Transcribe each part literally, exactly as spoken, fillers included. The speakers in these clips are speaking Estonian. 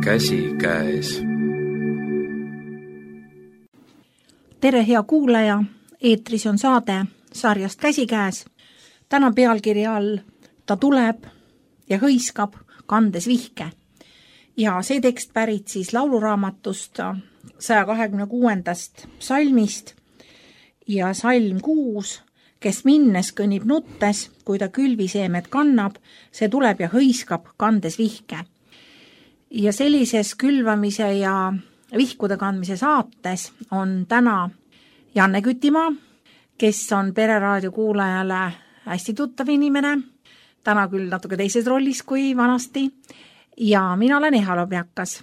käsikäes. Tere, hea kuulaja! Eetris on saade sarjast Käsikäes. Täna pealkirja all Ta tuleb ja hõiskab, kandes vihke. Ja see tekst pärit siis lauluraamatust saja kahekümne kuuendast salmist ja salm kuus, kes minnes kõnnib nuttes, kui ta külviseemed kannab, see tuleb ja hõiskab, kandes vihke. Ja sellises külvamise ja vihkude kandmise saates on täna Janne Kütimaa, kes on Pereraadio kuulajale hästi tuttav inimene, täna küll natuke teises rollis kui vanasti, ja mina olen Eha Lobjakas.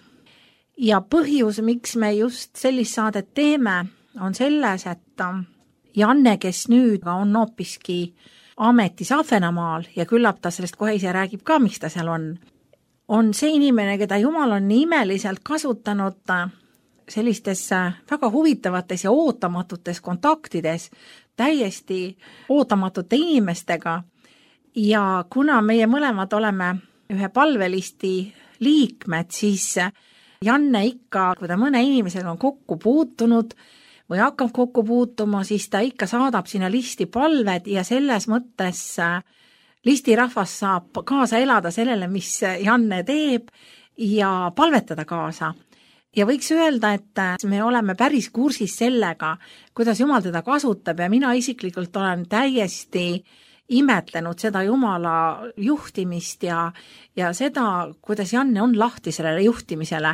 Ja põhjus, miks me just sellist saadet teeme, on selles, et Janne, kes nüüd on hoopiski ametis Ahvenamaal ja küllap ta sellest kohe ise räägib ka, miks ta seal on, on see inimene, keda Jumal on nii imeliselt kasutanud sellistes väga huvitavates ja ootamatutes kontaktides täiesti ootamatute inimestega. Ja kuna meie mõlemad oleme ühe palvelisti liikmed, siis Janne ikka, kui ta mõne inimesega on kokku puutunud või hakkab kokku puutuma, siis ta ikka saadab sinna listi palved ja selles mõttes listirahvas saab kaasa elada sellele, mis Janne teeb ja palvetada kaasa. Ja võiks öelda, et me oleme päris kursis sellega, kuidas Jumal teda kasutab ja mina isiklikult olen täiesti imetlenud seda Jumala juhtimist ja, ja seda, kuidas Janne on lahti sellele juhtimisele.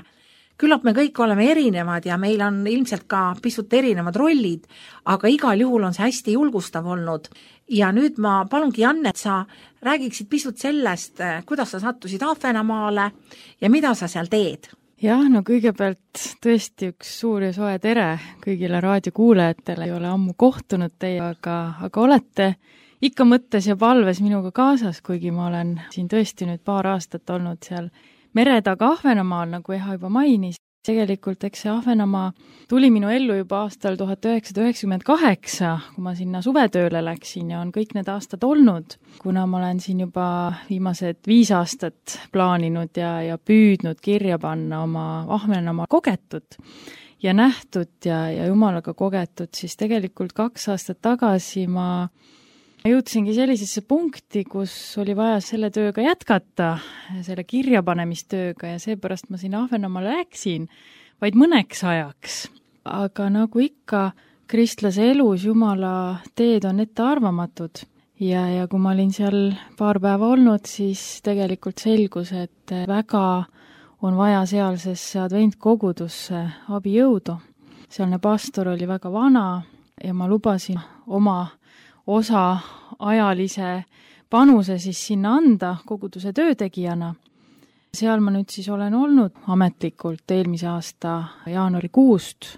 Küllap me kõik oleme erinevad ja meil on ilmselt ka pisut erinevad rollid, aga igal juhul on see hästi julgustav olnud. Ja nüüd ma palungi Janne, et sa räägiksid pisut sellest, kuidas sa sattusid Ahvenamaale ja mida sa seal teed. Jah, no kõigepealt tõesti üks suur ja soe tere kõigile raadiokuulajatele. Ei ole ammu kohtunud teie, aga, aga olete ikka mõttes ja palves minuga kaasas, kuigi ma olen siin tõesti nüüd paar aastat olnud seal mere taga Ahvenamaal, nagu Eha juba mainis. Tegelikult eks see Ahvenamaa tuli minu ellu juba aastal tuhat üheksasada üheksakümmend kaheksa, kui ma sinna suvetööle läksin ja on kõik need aastad olnud, kuna ma olen siin juba viimased viis aastat plaaninud ja, ja püüdnud kirja panna oma Ahvenamaa kogetud ja nähtud ja, ja Jumalaga kogetud, siis tegelikult kaks aastat tagasi ma jõudsingi sellisesse punkti, kus oli vaja selle tööga jätkata, selle kirjapanemistööga ja seepärast ma siin Ahvenamaale läksin vaid mõneks ajaks. Aga nagu ikka, kristlase elus Jumala teed on ettearvamatud ja, ja kui ma olin seal paar päeva olnud, siis tegelikult selgus, et väga on vaja sealsesse adventkogudusse abijõudu. Sealne pastor oli väga vana ja ma lubasin oma osa ajalise panuse siis sinna anda koguduse töötegijana. Seal ma nüüd siis olen olnud ametlikult eelmise aasta jaanuarikuust.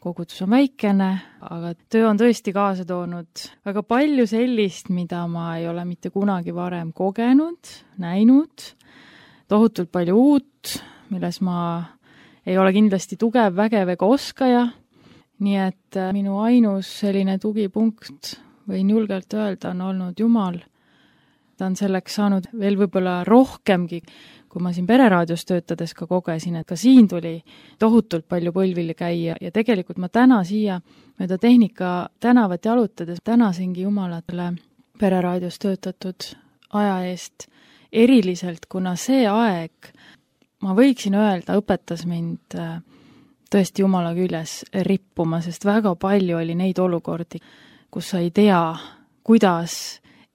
Kogudus on väikene, aga töö on tõesti kaasa toonud väga palju sellist, mida ma ei ole mitte kunagi varem kogenud, näinud. Tohutult palju uut, milles ma ei ole kindlasti tugev, vägev ega oskaja. Nii et minu ainus selline tugipunkt võin julgelt öelda, on olnud Jumal. Ta on selleks saanud veel võib-olla rohkemgi, kui ma siin Pereraadios töötades ka kogesin, et ka siin tuli tohutult palju põlvili käia ja tegelikult ma täna siia mööda tehnika tänavat jalutades tänasingi Jumalatele Pereraadios töötatud aja eest eriliselt, kuna see aeg, ma võiksin öelda, õpetas mind tõesti Jumala küljes rippuma, sest väga palju oli neid olukordi, kus sa ei tea, kuidas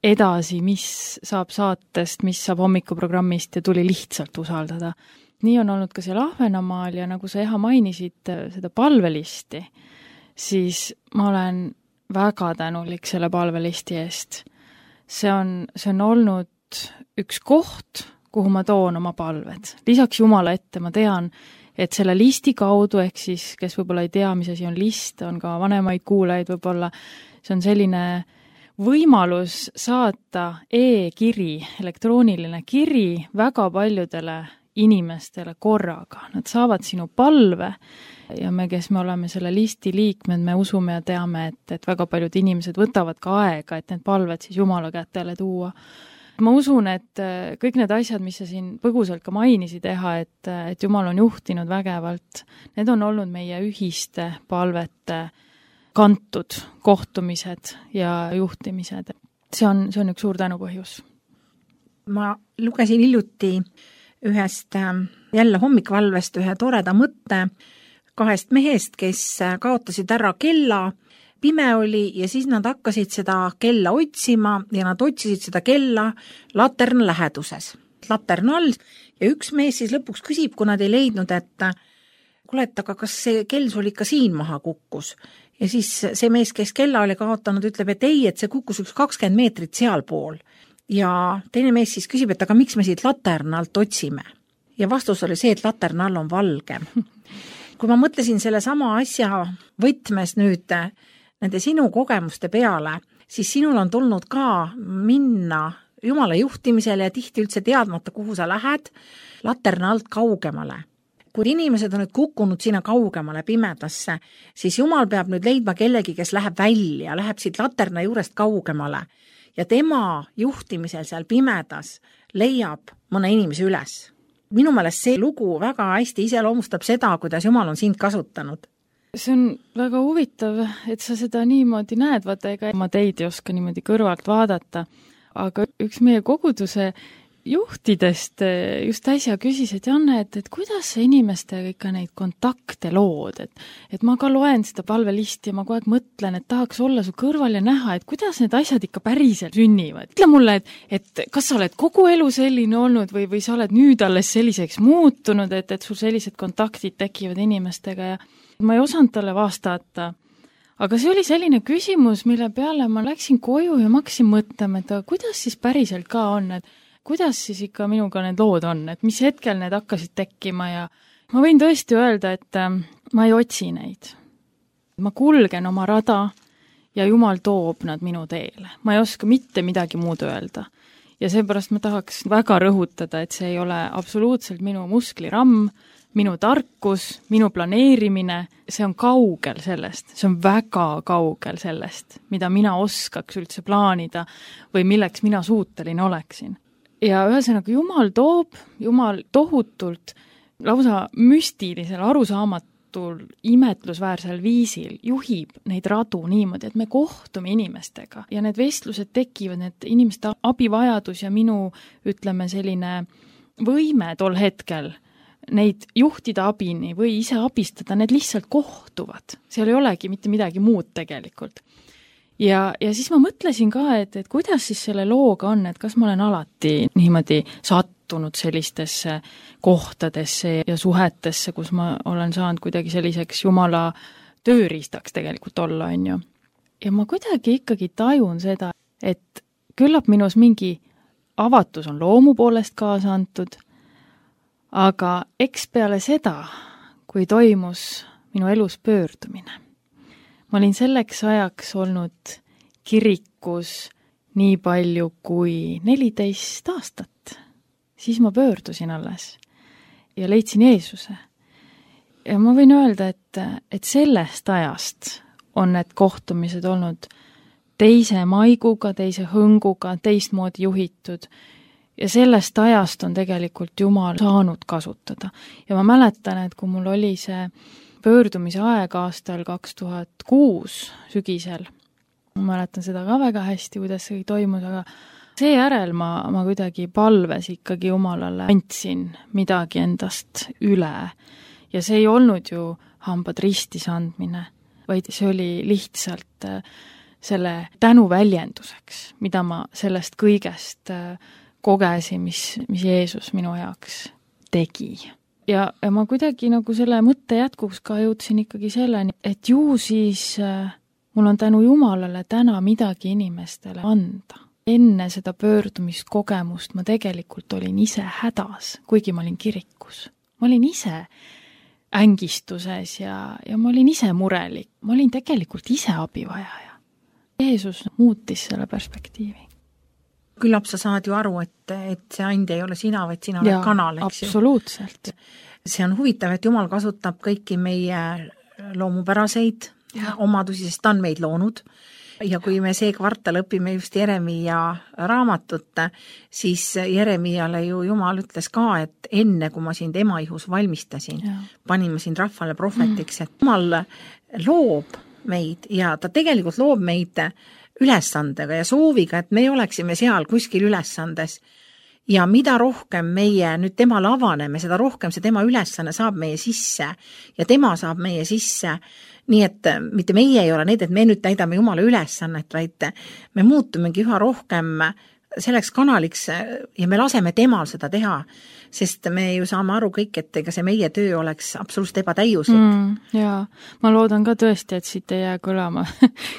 edasi, mis saab saatest, mis saab hommikuprogrammist ja tuli lihtsalt usaldada. Nii on olnud ka seal Ahvenamaal ja nagu sa Eha mainisid seda palvelisti, siis ma olen väga tänulik selle palvelisti eest. See on, see on olnud üks koht, kuhu ma toon oma palved. Lisaks Jumala ette ma tean, et selle listi kaudu, ehk siis, kes võib-olla ei tea, mis asi on list, on ka vanemaid kuulajaid võib-olla, see on selline võimalus saata e-kiri, elektrooniline kiri väga paljudele inimestele korraga. Nad saavad sinu palve ja me, kes me oleme selle listi liikmed, me usume ja teame, et, et väga paljud inimesed võtavad ka aega, et need palved siis Jumala kätele tuua. ma usun, et kõik need asjad, mis sa siin põgusalt ka mainisi teha, et, et Jumal on juhtinud vägevalt, need on olnud meie ühiste palvete kantud kohtumised ja juhtimised. See on, see on üks suur tänu põhjus. Ma lugesin hiljuti ühest jälle hommikvalvest ühe toreda mõtte kahest mehest, kes kaotasid ära kella, pime oli ja siis nad hakkasid seda kella otsima ja nad otsisid seda kella laterna läheduses, laterna all ja üks mees siis lõpuks küsib, kui nad ei leidnud, et kuule, et aga kas see kell sul ikka siin maha kukkus? Ja siis see mees, kes kella oli kaotanud, ütleb, et ei, et see kukkus üks kakskümmend meetrit sealpool. Ja teine mees siis küsib, et aga miks me siit laterna alt otsime? Ja vastus oli see, et laterna all on valge. Kui ma mõtlesin selle sama asja võtmes nüüd nende sinu kogemuste peale, siis sinul on tulnud ka minna Jumala juhtimisele ja tihti üldse teadmata, kuhu sa lähed, laterna alt kaugemale. Kui inimesed on nüüd kukkunud sinna kaugemale pimedasse, siis Jumal peab nüüd leidma kellegi, kes läheb välja, läheb siit laterna juurest kaugemale ja tema juhtimisel seal pimedas leiab mõne inimese üles. Minu meelest see lugu väga hästi iseloomustab seda, kuidas Jumal on sind kasutanud. See on väga huvitav, et sa seda niimoodi näed, vaata ega ma teid ei oska niimoodi kõrvalt vaadata, aga üks meie koguduse juhtidest just äsja küsis, et Janne, et, et kuidas sa inimestega ikka neid kontakte lood, et, et ma ka loen seda palvelisti ja ma kogu aeg mõtlen, et tahaks olla su kõrval ja näha, et kuidas need asjad ikka päriselt sünnivad. Ütle mulle, et, et kas sa oled kogu elu selline olnud või, või sa oled nüüd alles selliseks muutunud, et, et sul sellised kontaktid tekivad inimestega ja ma ei osanud talle vastata. Aga see oli selline küsimus, mille peale ma läksin koju ja ma hakkasin mõtlema, et kuidas siis päriselt ka on, et kuidas siis ikka minuga need lood on, et mis hetkel need hakkasid tekkima ja ma võin tõesti öelda, et ma ei otsi neid. Ma kulgen oma rada ja Jumal toob nad minu teele. Ma ei oska mitte midagi muud öelda. Ja seepärast ma tahaks väga rõhutada, et see ei ole absoluutselt minu muskliramm, minu tarkus, minu planeerimine, see on kaugel sellest, see on väga kaugel sellest, mida mina oskaks üldse plaanida või milleks mina suuteline oleksin. Ja ühesõnaga Jumal toob, Jumal tohutult lausa müstilisel, arusaamatul, imetlusväärsel viisil juhib neid radu niimoodi, et me kohtume inimestega ja need vestlused tekivad, need inimeste abivajadus ja minu, ütleme, selline võime tol hetkel neid juhtida abini või ise abistada, need lihtsalt kohtuvad. Seal ei olegi mitte midagi muud tegelikult. Ja, ja siis ma mõtlesin ka, et, et kuidas siis selle looga on, et kas ma olen alati niimoodi sattunud sellistesse kohtadesse ja suhetesse, kus ma olen saanud kuidagi selliseks Jumala tööriistaks tegelikult olla, on ju. Ja ma kuidagi ikkagi tajun seda, et küllap minus mingi avatus on loomu poolest kaasa antud, aga eks peale seda, kui toimus minu elus pöördumine, ma olin selleks ajaks olnud kirikus nii palju kui neliteist aastat. Siis ma pöördusin alles ja leidsin Jeesuse. Ja ma võin öelda, et, et sellest ajast on need kohtumised olnud teise maiguga, teise hõnguga, teistmoodi juhitud. Ja sellest ajast on tegelikult Jumal saanud kasutada. Ja ma mäletan, et kui mul oli see pöördumise aeg aastal kaks tuhat kuus sügisel, ma mäletan seda ka väga hästi, kuidas see toimus, aga seejärel ma, ma kuidagi palves ikkagi Jumalale andsin midagi endast üle. Ja see ei olnud ju hambad ristis andmine, vaid see oli lihtsalt selle tänu väljenduseks, mida ma sellest kõigest kogesin, mis, mis Jeesus minu jaoks tegi. Ja, ja ma kuidagi nagu selle mõtte jätkuks ka jõudsin ikkagi selleni, et ju siis mul on tänu Jumalale täna midagi inimestele anda. Enne seda pöördumiskogemust ma tegelikult olin ise hädas, kuigi ma olin kirikus. Ma olin ise ängistuses ja, ja ma olin ise murelik. Ma olin tegelikult ise abivajaja. Jeesus muutis selle perspektiivi. Küllap sa saad ju aru, et, et see and ei ole sina, vaid sina oled kanal, eks absoluutselt. Ju. See on huvitav, et Jumal kasutab kõiki meie loomupäraseid ja omadusi, sest ta on meid loonud. ja kui me see kvartal õpime just Jeremiia raamatut, siis Jeremiale ju Jumal ütles ka, et enne kui ma sind ema ihus valmistasin, ja. panin ma sind rahvale prohvetiks, et Jumal loob meid ja ta tegelikult loob meid ülesandega ja sooviga, et me oleksime seal kuskil ülesandes. Ja mida rohkem meie nüüd temale avaneme, seda rohkem see tema ülesanne saab meie sisse ja tema saab meie sisse. Nii et mitte meie ei ole need, et me nüüd täidame Jumala ülesannet, vaid me muutumegi üha rohkem selleks kanaliks ja me laseme temal seda teha, sest me ju saame aru kõik, et ega see meie töö oleks absoluutselt ebatäiuslik. Mm, jaa, ma loodan ka tõesti, et siit ei jää kõlama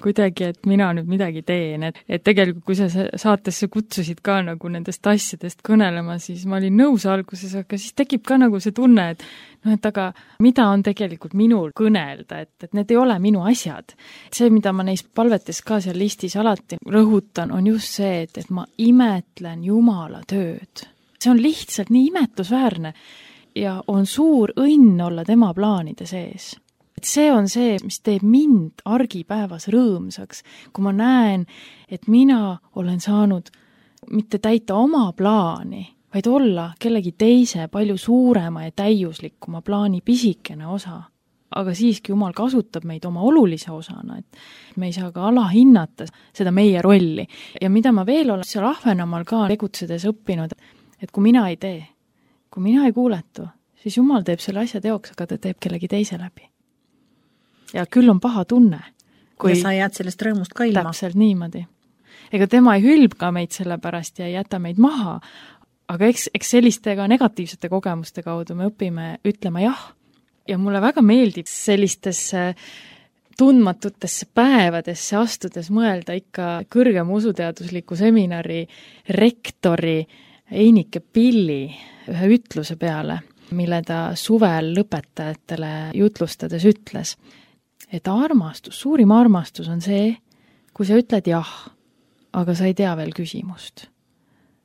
kuidagi, et mina nüüd midagi teen, et, et tegelikult kui sa saatesse kutsusid ka nagu nendest asjadest kõnelema, siis ma olin nõus alguses, aga siis tekib ka nagu see tunne, et no et aga mida on tegelikult minul kõnelda, et, et need ei ole minu asjad. See, mida ma neis palvetes ka seal listis alati rõhutan, on just see, et, et ma imetlen Jumala tööd. See on lihtsalt nii imetlusväärne ja on suur õnn olla tema plaanide sees. Et see on see, mis teeb mind argipäevas rõõmsaks, kui ma näen, et mina olen saanud mitte täita oma plaani, vaid olla kellegi teise palju suurema ja täiuslikuma plaani pisikene osa. Aga siiski Jumal kasutab meid oma olulise osana, et me ei saa ka alahinnata seda meie rolli. Ja mida ma veel olen seal Ahvenamaal ka tegutsedes õppinud, et kui mina ei tee, kui mina ei kuuletu, siis Jumal teeb selle asja teoks, aga ta teeb kellegi teise läbi. Ja küll on paha tunne. Kui ja sa jääd sellest rõõmust ka ilma. Täpselt niimoodi. Ega tema ei hülbka meid selle pärast ja ei jäta meid maha, aga eks, eks sellistega negatiivsete kogemuste kaudu me õpime ütlema jah. Ja mulle väga meeldib sellistesse tundmatutesse päevadesse astudes mõelda ikka kõrgema usuteadusliku seminari rektori Einike Pilli ühe ütluse peale, mille ta suvel lõpetajatele jutlustades ütles, et armastus, suurim armastus on see, kui sa ütled jah, aga sa ei tea veel küsimust.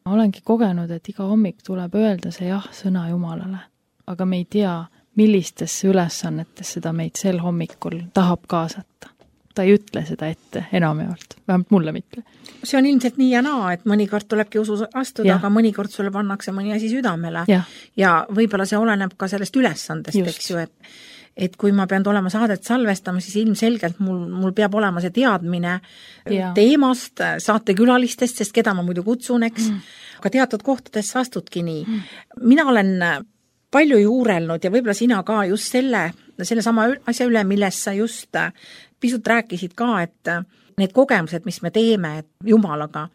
Ma olengi kogenud, et iga hommik tuleb öelda see jah sõna Jumalale, aga me ei tea, millistesse ülesannetesse seda meid sel hommikul tahab kaasata. Ta ei ütle seda ette enamjaolt, vähemalt mulle mitte. See on ilmselt nii ja naa, et mõnikord tulebki usu astuda, ja. Aga mõnikord sulle pannakse mõni asi südamele ja, ja võib-olla see oleneb ka sellest ülesandest, Just. eks ju, et, et kui ma pean olema saadet salvestama, siis ilmselgelt mul, mul peab olema see teadmine ja. Teemast, saatekülalistest, sest keda ma muidu kutsun, eks, mm. aga teatud kohtades sa astudki nii. Mm. Mina olen palju juurelnud ja võib-olla sina ka just selle, selle sama asja üle, millest sa just pisut rääkisid ka, et need kogemused, mis me teeme Jumalaga,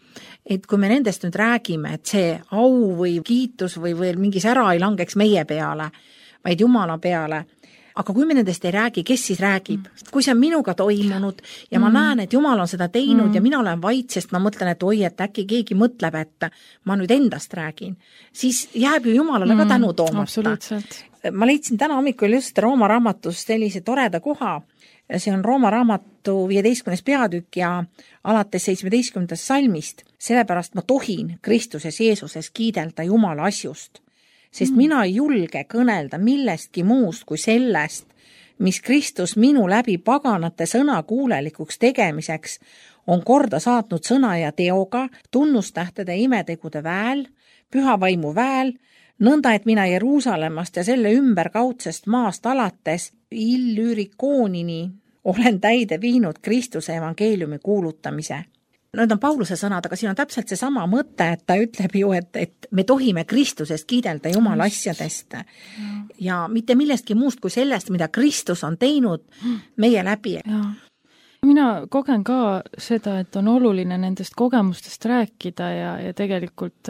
et kui me nendest nüüd räägime, et see au või kiitus või, või mingi sära ei langeks meie peale, vaid Jumala peale, aga kui me nendest ei räägi, kes siis räägib? Kui see on minuga toimunud ja ma mm. näen, et Jumal on seda teinud mm. ja mina olen vait, sest ma mõtlen, et oi, et äkki keegi mõtleb, et ma nüüd endast räägin, siis jääb ju Jumalale mm. ka tänu toomata. Ma leidsin täna hommikul just Rooma raamatus sellise toreda koha. See on Rooma raamatu viieteistkümnes peatükk ja alates seitsmeteistkümnendast salmist. Sellepärast ma tohin Kristuses Jeesuses kiidelda Jumala asjust. Sest mm. mina ei julge kõnelda millestki muust kui sellest, mis Kristus minu läbi paganate sõna kuulelikuks tegemiseks on korda saatnud sõna ja teoga, tunnustähtede imetegude väel, püha vaimu väel, nõnda, et mina Jeruusalemmast ja selle ümberkaudsest maast alates Illyrikoonini olen täide viinud Kristuse evangeeliumi kuulutamise. Need on Pauluse sõnad, aga siin on täpselt see sama mõte, et ta ütleb ju, et, et me tohime Kristusest kiidelda Jumala asjadest ja mitte millestki muust kui sellest, mida Kristus on teinud meie läbi. Ja. Mina kogen ka seda, et on oluline nendest kogemustest rääkida ja, ja tegelikult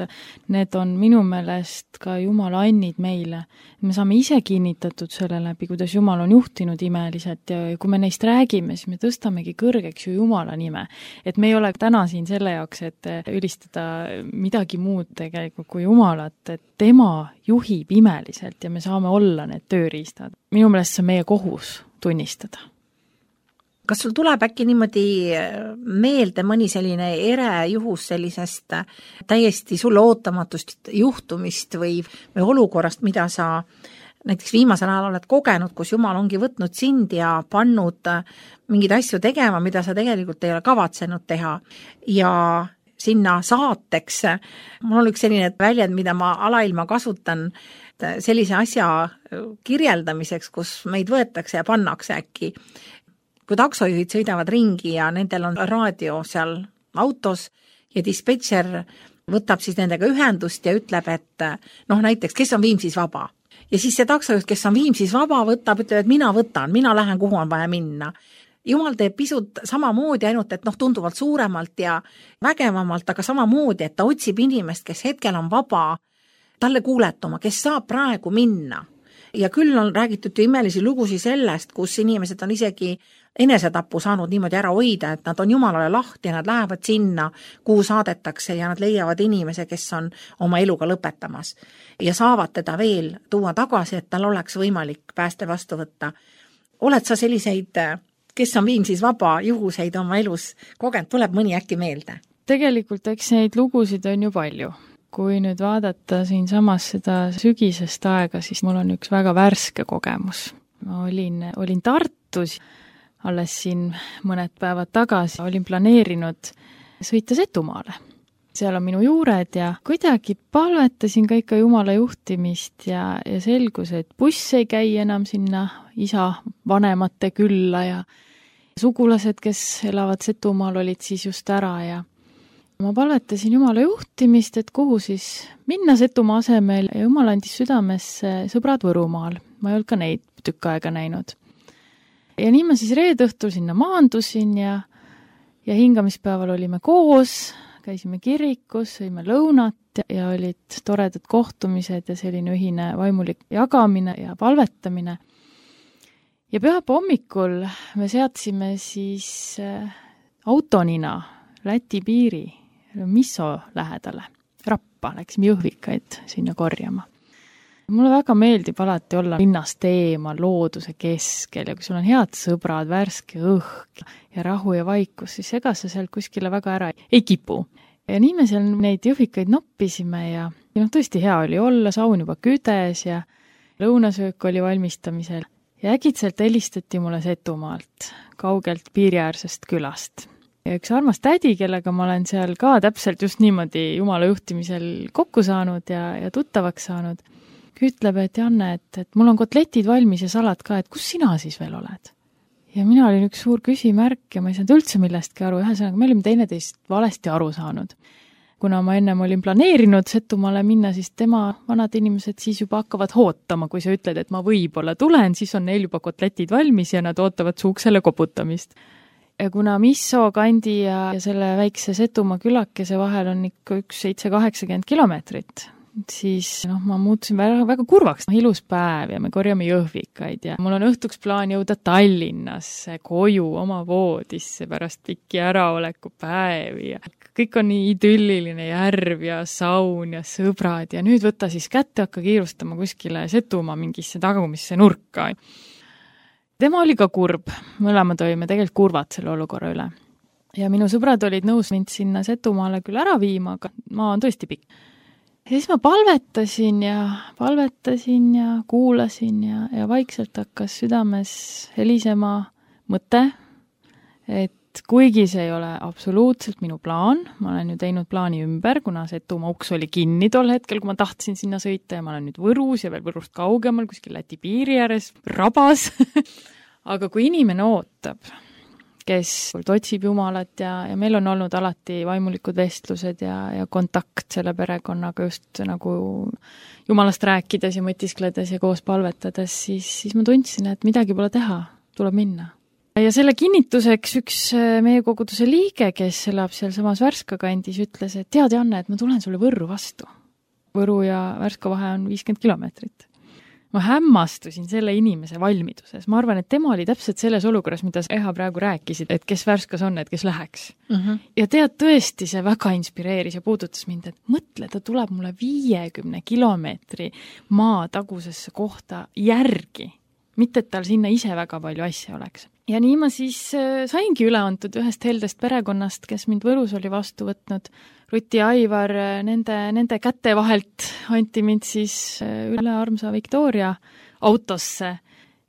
need on minu meelest ka Jumala annid meile. Me saame ise kinnitatud selle läbi, kuidas Jumal on juhtinud imeliselt ja kui me neist räägime, siis me tõstamegi kõrgeks ju Jumala nime. Et me ei ole täna siin selle jaoks, et ülistada midagi muud tegelikult kui Jumalat, et tema juhib imeliselt ja me saame olla need tööriistad. Minu meelest see on meie kohus tunnistada. Kas sul tuleb äkki niimoodi meelde mõni selline ere juhus sellisest täiesti sulle ootamatust juhtumist või, või olukorrast, mida sa näiteks viimasel ajal oled kogenud, kus Jumal ongi võtnud sind ja pannud mingeid asju tegema, mida sa tegelikult ei ole kavatsenud teha ja sinna saateks. Mul on üks selline väljend, mida ma alailma kasutan sellise asja kirjeldamiseks, kus meid võetakse ja pannakse äkki. Kui taksojuhid sõidavad ringi ja nendel on raadio seal autos ja dispetšer võtab siis nendega ühendust ja ütleb, et noh, näiteks, kes on Viimsis vaba. Ja siis see taksojuht, kes on Viimsis vaba, võtab, ütleb, et mina võtan, mina lähen, kuhu on vaja minna. Jumal teeb pisut samamoodi, ainult et noh, tunduvalt suuremalt ja vägevamalt, aga samamoodi, et ta otsib inimest, kes hetkel on vaba, talle kuuletuma, kes saab praegu minna. Ja küll on räägitud ju imelisi lugusi sellest, kus inimesed on isegi enesetappu saanud niimoodi ära hoida, et nad on Jumalale lahti ja nad lähevad sinna, kuhu saadetakse ja nad leiavad inimese, kes on oma eluga lõpetamas. Ja saavad teda veel tuua tagasi, et tal oleks võimalik pääste vastu võtta. Oled sa selliseid, kes on Viimsis vaba, juhuseid oma elus kogenud, tuleb mõni äkki meelde? Tegelikult eks neid lugusid on ju palju. Kui nüüd vaadata siin samas seda sügisest aega, siis mul on üks väga värske kogemus. Ma olin, olin Tartus, alles siin mõned päevad tagasi, olin planeerinud sõita Setumaale. Seal on minu juured ja kuidagi palvetasin ka ikka Jumala juhtimist ja, ja selgus, et buss ei käi enam sinna isa vanemate külla ja sugulased, kes elavad Setumaal, olid siis just ära ja ma palvetasin Jumala juhtimist, et kuhu siis minna Setumaa asemel ja Jumal andis südamesse sõbrad Võrumaal. Ma ei olnud ka neid tükk aega näinud. Ja nii ma siis reede õhtul sinna maandusin ja, ja hingamispäeval olime koos, käisime kirikus, sõime lõunat ja, ja olid toredad kohtumised ja selline ühine vaimulik jagamine ja palvetamine. Ja pühapa hommikul me seadsime siis autonina Läti piiri Misso lähedale, Rappa, läksime Jõhvikaid sinna korjama. Mulle väga meeldib alati olla linnast eemal, looduse keskel ja kui sul on head sõbrad, värske õhk ja rahu ja vaikus, siis ega sa seal kuskile väga ära ei kipu. Ja nii me seal neid Jõhvikaid noppisime ja, ja noh, tõesti hea oli olla, saun juba küdes ja lõunasöök oli valmistamisel. Ja äkitselt helistati mulle Setumaalt, kaugelt piiriäärsest külast. Ja üks armas tädi, kellega ma olen seal ka täpselt just niimoodi Jumala juhtimisel kokku saanud ja, ja tuttavaks saanud, ütleb, et Janne, et, et mul on kotletid valmis ja salat ka, et kus sina siis veel oled? Ja mina olin üks suur küsimärk ja ma ei saanud üldse millestki aru, ühesõnaga me olime teineteist valesti aru saanud. Kuna ma ennem olin planeerinud Setumaale minna, siis tema vanad inimesed siis juba hakkavad hootama, kui sa ütled, et ma võib-olla tulen, siis on neil juba kotletid valmis ja nad ootavad su uksele koputamist. Ja kuna Misso kandi ja, ja selle väikse Setumaa külakese vahel on ikka üks seitse kaheksakümmend kilomeetrit, siis noh, ma muutusin väga, väga kurvaks. Ilus päev ja me korjame Jõhvikaid ja mul on õhtuks plaan jõuda Tallinnasse, koju, oma voodisse pärast pikki äraoleku päevi ja kõik on nii idülliline järv ja saun ja sõbrad ja nüüd võtta siis kätte, hakka kiirustama kuskile Setumaa mingisse tagumisse nurka. Tema oli ka kurb, mõlemad olime tegelikult kurvad selle olukorra üle. Ja minu sõbrad olid nõus mind sinna Setumaale küll ära viima, aga maa on tõesti pikk. Ja siis ma palvetasin ja palvetasin ja kuulasin ja, ja vaikselt hakkas südames helisema mõte, et kuigi see ei ole absoluutselt minu plaan, ma olen ju teinud plaani ümber, kuna Setumaa uks oli kinni tol hetkel, kui ma tahtsin sinna sõita ja ma olen nüüd Võrus ja veel Võrust kaugemal, kuskil Läti piiri ääres, rabas. Aga kui inimene ootab, kes otsib Jumalat ja, ja meil on olnud alati vaimulikud vestlused ja, ja kontakt selle perekonnaga just nagu Jumalast rääkides ja mõtiskledes ja koos palvetades, siis, siis ma tundsin, et midagi pole teha, tuleb minna. Ja selle kinnituseks üks meie koguduse liige, kes elab seal samas Värska kandis, ütles, et tead, Janne, et ma tulen sulle Võrru vastu. Võru ja Värska vahe on viiskümmend kilomeetrit. Ma hämmastusin selle inimese valmiduses. Ma arvan, et tema oli täpselt selles olukorras, mida Eha praegu rääkisid, et kes Värskas on, et kes läheks. Uh-huh. Ja tead, tõesti see väga inspireeris ja puudutas mind, et mõtle, ta tuleb mulle viiekümne kilomeetri maa tagusesse kohta järgi. Mitte, et tal sinna ise väga palju asja oleks. ja nii ma siis saingi üle antud ühest heldest perekonnast, kes mind Võrus oli vastu võtnud. Ruti ja Aivar, nende, nende käte vahelt anti mind siis üle armsa Victoria autosse.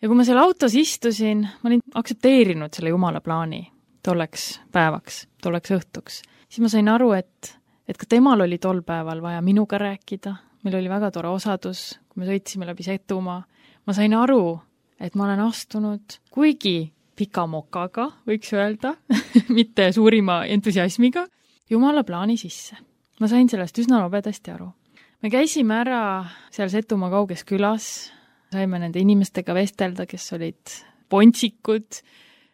Ja kui ma seal autos istusin, ma olin aktsepteerinud selle jumala plaani tolleks päevaks, tolleks õhtuks. Siis ma sain aru, et, et ka temal oli tol päeval vaja minuga rääkida. Meil oli väga tore osadus, kui me sõitsime läbi Setumaa. Ma sain aru, et ma olen astunud kuigi pika mokaga, võiks öelda, mitte suurima entusiasmiga, jumala plaani sisse. Ma sain sellest üsna nobedasti aru. Me käisime ära seal Setumaa kauges külas, saime nende inimestega vestelda, kes olid pontsikud,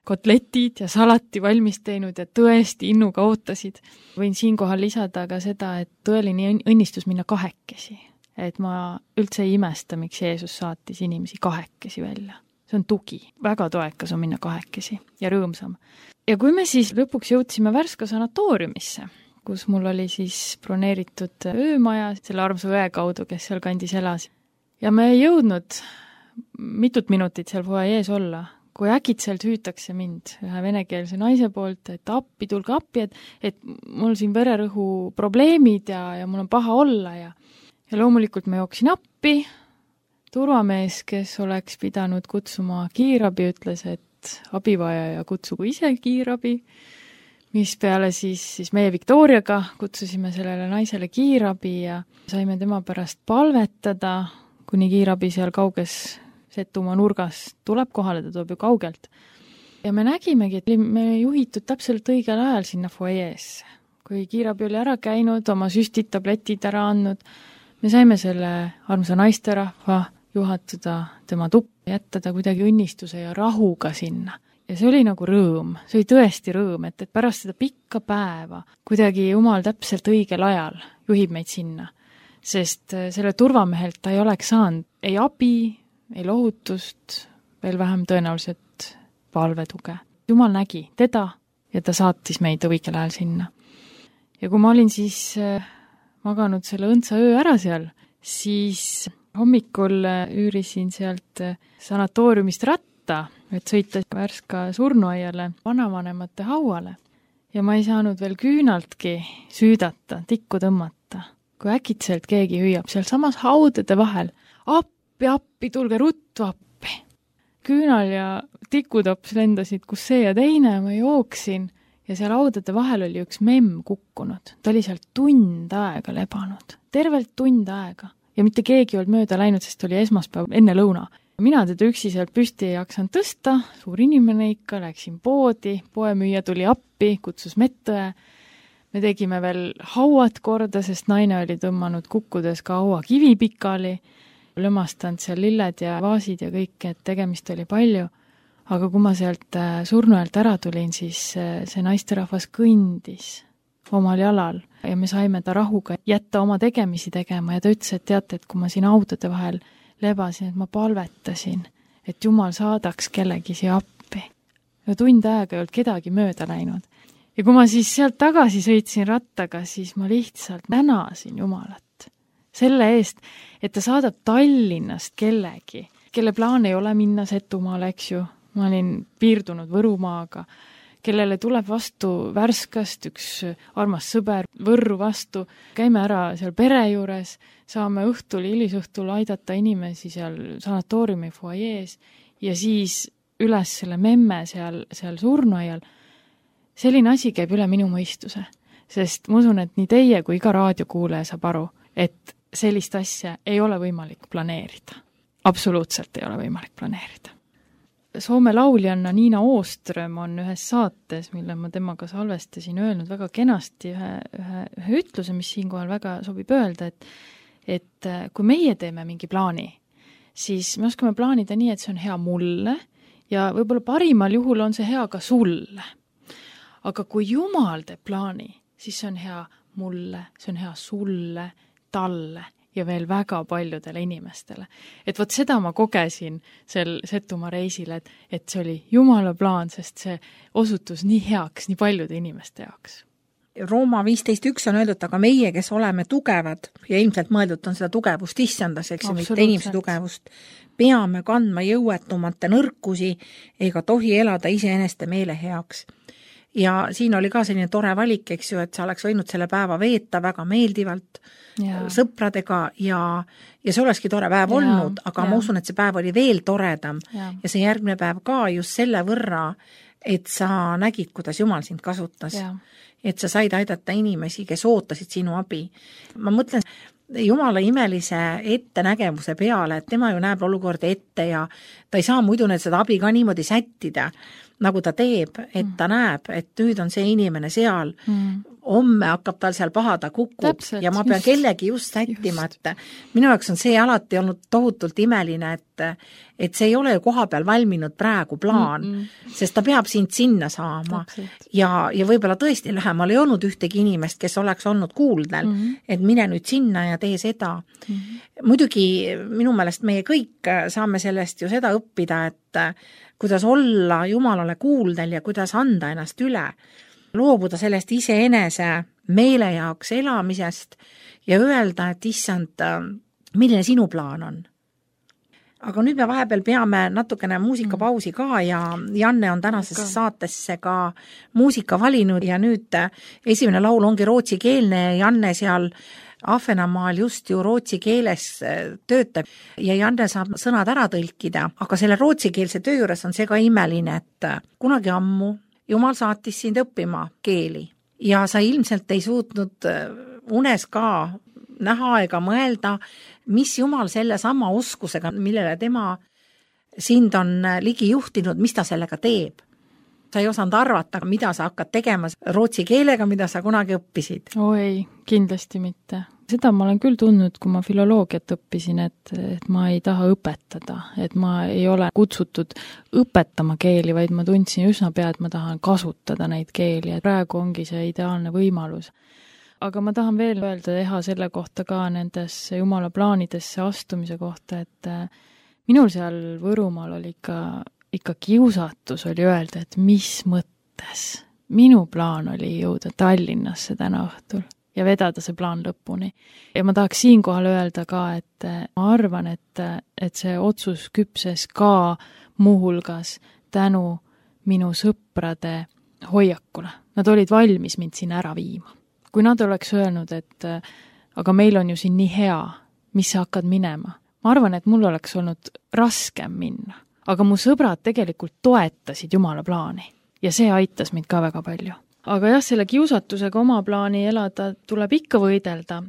kotletid ja salati valmis teinud ja tõesti innuga ootasid. Võin siinkohal lisada ka seda, et tõeline õnnistus minna kahekesi. Et ma üldse ei imesta, miks Jeesus saatis inimesi kahekesi välja. See on tugi. Väga toekas on minna kahekesi ja rõõmsam. Ja kui me siis lõpuks jõudsime Värska sanatooriumisse, kus mul oli siis broneeritud öömaja selle armsa õe kaudu, kes seal kandis elas. Ja me ei jõudnud mitut minutit seal foajees olla, kui äkitselt hüütakse mind ühe venekeelse naise poolt, et appi, tulge appi, et, et mul siin vererõhu probleemid ja, ja mul on paha olla. Ja, ja loomulikult ma jooksin appi. Turvamees, kes oleks pidanud kutsuma kiirabi, ütles, et abivajaja kutsugu ise kiirabi, mis peale siis, siis meie Victoriaga kutsusime sellele naisele kiirabi ja saime tema pärast palvetada, kuni kiirabi seal kauges Setumaa nurgas tuleb kohale, ta tuleb ju kaugelt. Ja me nägimegi, et me juhitud täpselt õigel ajal sinna foajeesse. Kui kiirabi oli ära käinud, oma süstid, tabletid ära andnud, me saime selle armsa naisterahva juhatada tema tuppa, jätta ta kuidagi õnnistuse ja rahuga sinna. Ja see oli nagu rõõm, see oli tõesti rõõm, et, et pärast seda pikka päeva kuidagi Jumal täpselt õigel ajal juhib meid sinna. Sest selle turvamehelt ta ei oleks saanud ei abi, ei lohutust, veel vähem tõenäoliselt palvetuge. Jumal nägi teda ja ta saatis meid õigel ajal sinna. Ja kui ma olin siis maganud selle õndsa öö ära seal, siis hommikul üürisin sealt sanatooriumist ratta, et sõita Värska surnuaiale vanavanemate hauale. Ja ma ei saanud veel küünaltki süüdata, tikku tõmmata, kui äkitselt keegi hüüab seal samas haudade vahel. Appi, appi, tulge ruttu appi. Küünal ja tikutops lendasid, kus see ja teine, ma jooksin ja seal haudade vahel oli üks memm kukkunud. Ta oli seal tund aega lebanud, tervelt tund aega. Ja mitte keegi olnud mööda läinud, sest oli esmaspäev enne lõuna. Mina teda üksi sealt püsti ei jaksanud tõsta, suur inimene ikka, läksin poodi, poemüüja tuli appi, kutsus mettõe. Me tegime veel hauad korda, sest naine oli tõmmanud kukkudes ka haua kivi pikali, lõmastanud seal lilled ja vaasid ja kõik, et tegemist oli palju. Aga kui ma sealt surnuajalt ära tulin, siis see naisterahvas kõndis omal jalal ja me saime ta rahuga jätta oma tegemisi tegema ja ta ütles, et teate, et kui ma siin autode vahel lebasin, et ma palvetasin, et Jumal saadaks kellegi siia appi. Ja tund aega ei olnud kedagi mööda läinud. Ja kui ma siis sealt tagasi sõitsin rattaga, siis ma lihtsalt tänasin Jumalat selle eest, et ta saadab Tallinnast kellegi, kelle plaan ei ole minna Setumaale, eks ju. Ma olin piirdunud Võrumaaga, kellele tuleb vastu Värskast üks armas sõber Võrru vastu. Käime ära seal pere juures, saame õhtul, hilisõhtul aidata inimesi seal sanatooriumi foajees ja siis üles selle memme seal, seal surnuaial. Selline asi käib üle minu mõistuse, sest ma usun, et nii teie kui iga raadiokuulaja saab aru, et sellist asja ei ole võimalik planeerida. Absoluutselt ei ole võimalik planeerida. Soome lauljanna Niina Ooström on ühes saates, mille ma temaga salvestasin, öelnud väga kenasti ühe, ühe, ühe ütluse, mis siinkohal väga sobib öelda, et, et kui meie teeme mingi plaani, siis me oskame plaanida nii, et see on hea mulle ja võib-olla parimal juhul on see hea ka sulle. Aga kui Jumal teeb plaani, siis see on hea mulle, see on hea sulle, talle ja veel väga paljudele inimestele. Et vot seda ma kogesin sel Setumaa reisil, et, et see oli Jumala plaan, sest see osutus nii heaks nii paljude inimeste jaoks. Rooma viisteist üks on öeldud, aga meie, kes oleme tugevad ja ilmselt mõeldud on seda tugevust issandas, eks ju, mitte inimese tugevust, peame kandma jõuetumate nõrkusi ega tohi elada iseeneste meele heaks. Ja siin oli ka selline tore valik, eks ju, et sa oleks võinud selle päeva veeta väga meeldivalt ja. sõpradega ja, ja see olekski tore päev ja, olnud, aga ja. ma usun, et see päev oli veel toredam ja. ja see järgmine päev ka just selle võrra, et sa nägid, kuidas Jumal sind kasutas. Ja. Et sa said aidata inimesi, kes ootasid sinu abi. Ma mõtlen Jumala imelise ettenägemuse peale, et tema ju näeb olukorda ette ja ta ei saa muidu need seda abi ka niimoodi sättida, nagu ta teeb, et ta näeb, et nüüd on see inimene seal, mm. homme hakkab tal seal paha, ta kukub Täpselt, ja ma pean just, kellegi just sättima, just. et minu jaoks on see alati olnud tohutult imeline, et, et see ei ole ju koha peal valminud praegu plaan, mm -mm. sest ta peab sind sinna saama Täpselt. ja, ja võib-olla tõesti lähemal ei olnud ühtegi inimest, kes oleks olnud kuuldel, mm -hmm. et mine nüüd sinna ja tee seda. Mm -hmm. Muidugi minu meelest meie kõik saame sellest ju seda õppida, et kuidas olla Jumalale kuuldel ja kuidas anda ennast üle, loobuda sellest iseenese meele jaoks elamisest ja öelda, et issand, milline sinu plaan on. Aga nüüd me vahepeal peame natukene muusikapausi ka ja Janne on tänasesse saatesse ka muusika valinud ja nüüd esimene laul ongi rootsikeelne ja Janne seal Ahvenamaal just ju rootsi keeles töötab ja Janne saab sõnad ära tõlkida, aga selle rootsikeelse töö juures on see ka imeline, et kunagi ammu Jumal saatis sind õppima keeli ja sa ilmselt ei suutnud unes ka näha ega mõelda, mis Jumal selle sama oskusega, millele tema sind on ligi juhtinud, mis ta sellega teeb. Sa ei osanud arvata, mida sa hakkad tegema rootsi keelega, mida sa kunagi õppisid. Oo ei, kindlasti mitte. Seda ma olen küll tundnud, kui ma filoloogiat õppisin, et, et ma ei taha õpetada, et ma ei ole kutsutud õpetama keeli, vaid ma tundsin üsna pea, et ma tahan kasutada neid keeli, et praegu ongi see ideaalne võimalus. Aga ma tahan veel öelda teha selle kohta ka nendesse Jumala plaanidesse astumise kohta, et minul seal Võrumaal oli ikka ikka kiusatus oli öelda, et mis mõttes. Minu plaan oli jõuda Tallinnasse täna õhtul ja vedada see plaan lõpuni. Ja ma tahaks siinkohal öelda ka, et ma arvan, et, et see otsus küpses ka muuhulgas tänu minu sõprade hoiakule. Nad olid valmis mind siin ära viima. Kui nad oleks öelnud, et aga meil on ju siin nii hea, mis sa hakkad minema. Ma arvan, et mul oleks olnud raskem minna. Aga mu sõbrad tegelikult toetasid Jumala plaani ja see aitas mind ka väga palju. Aga jah, selle kiusatusega oma plaani elada tuleb ikka võidelda.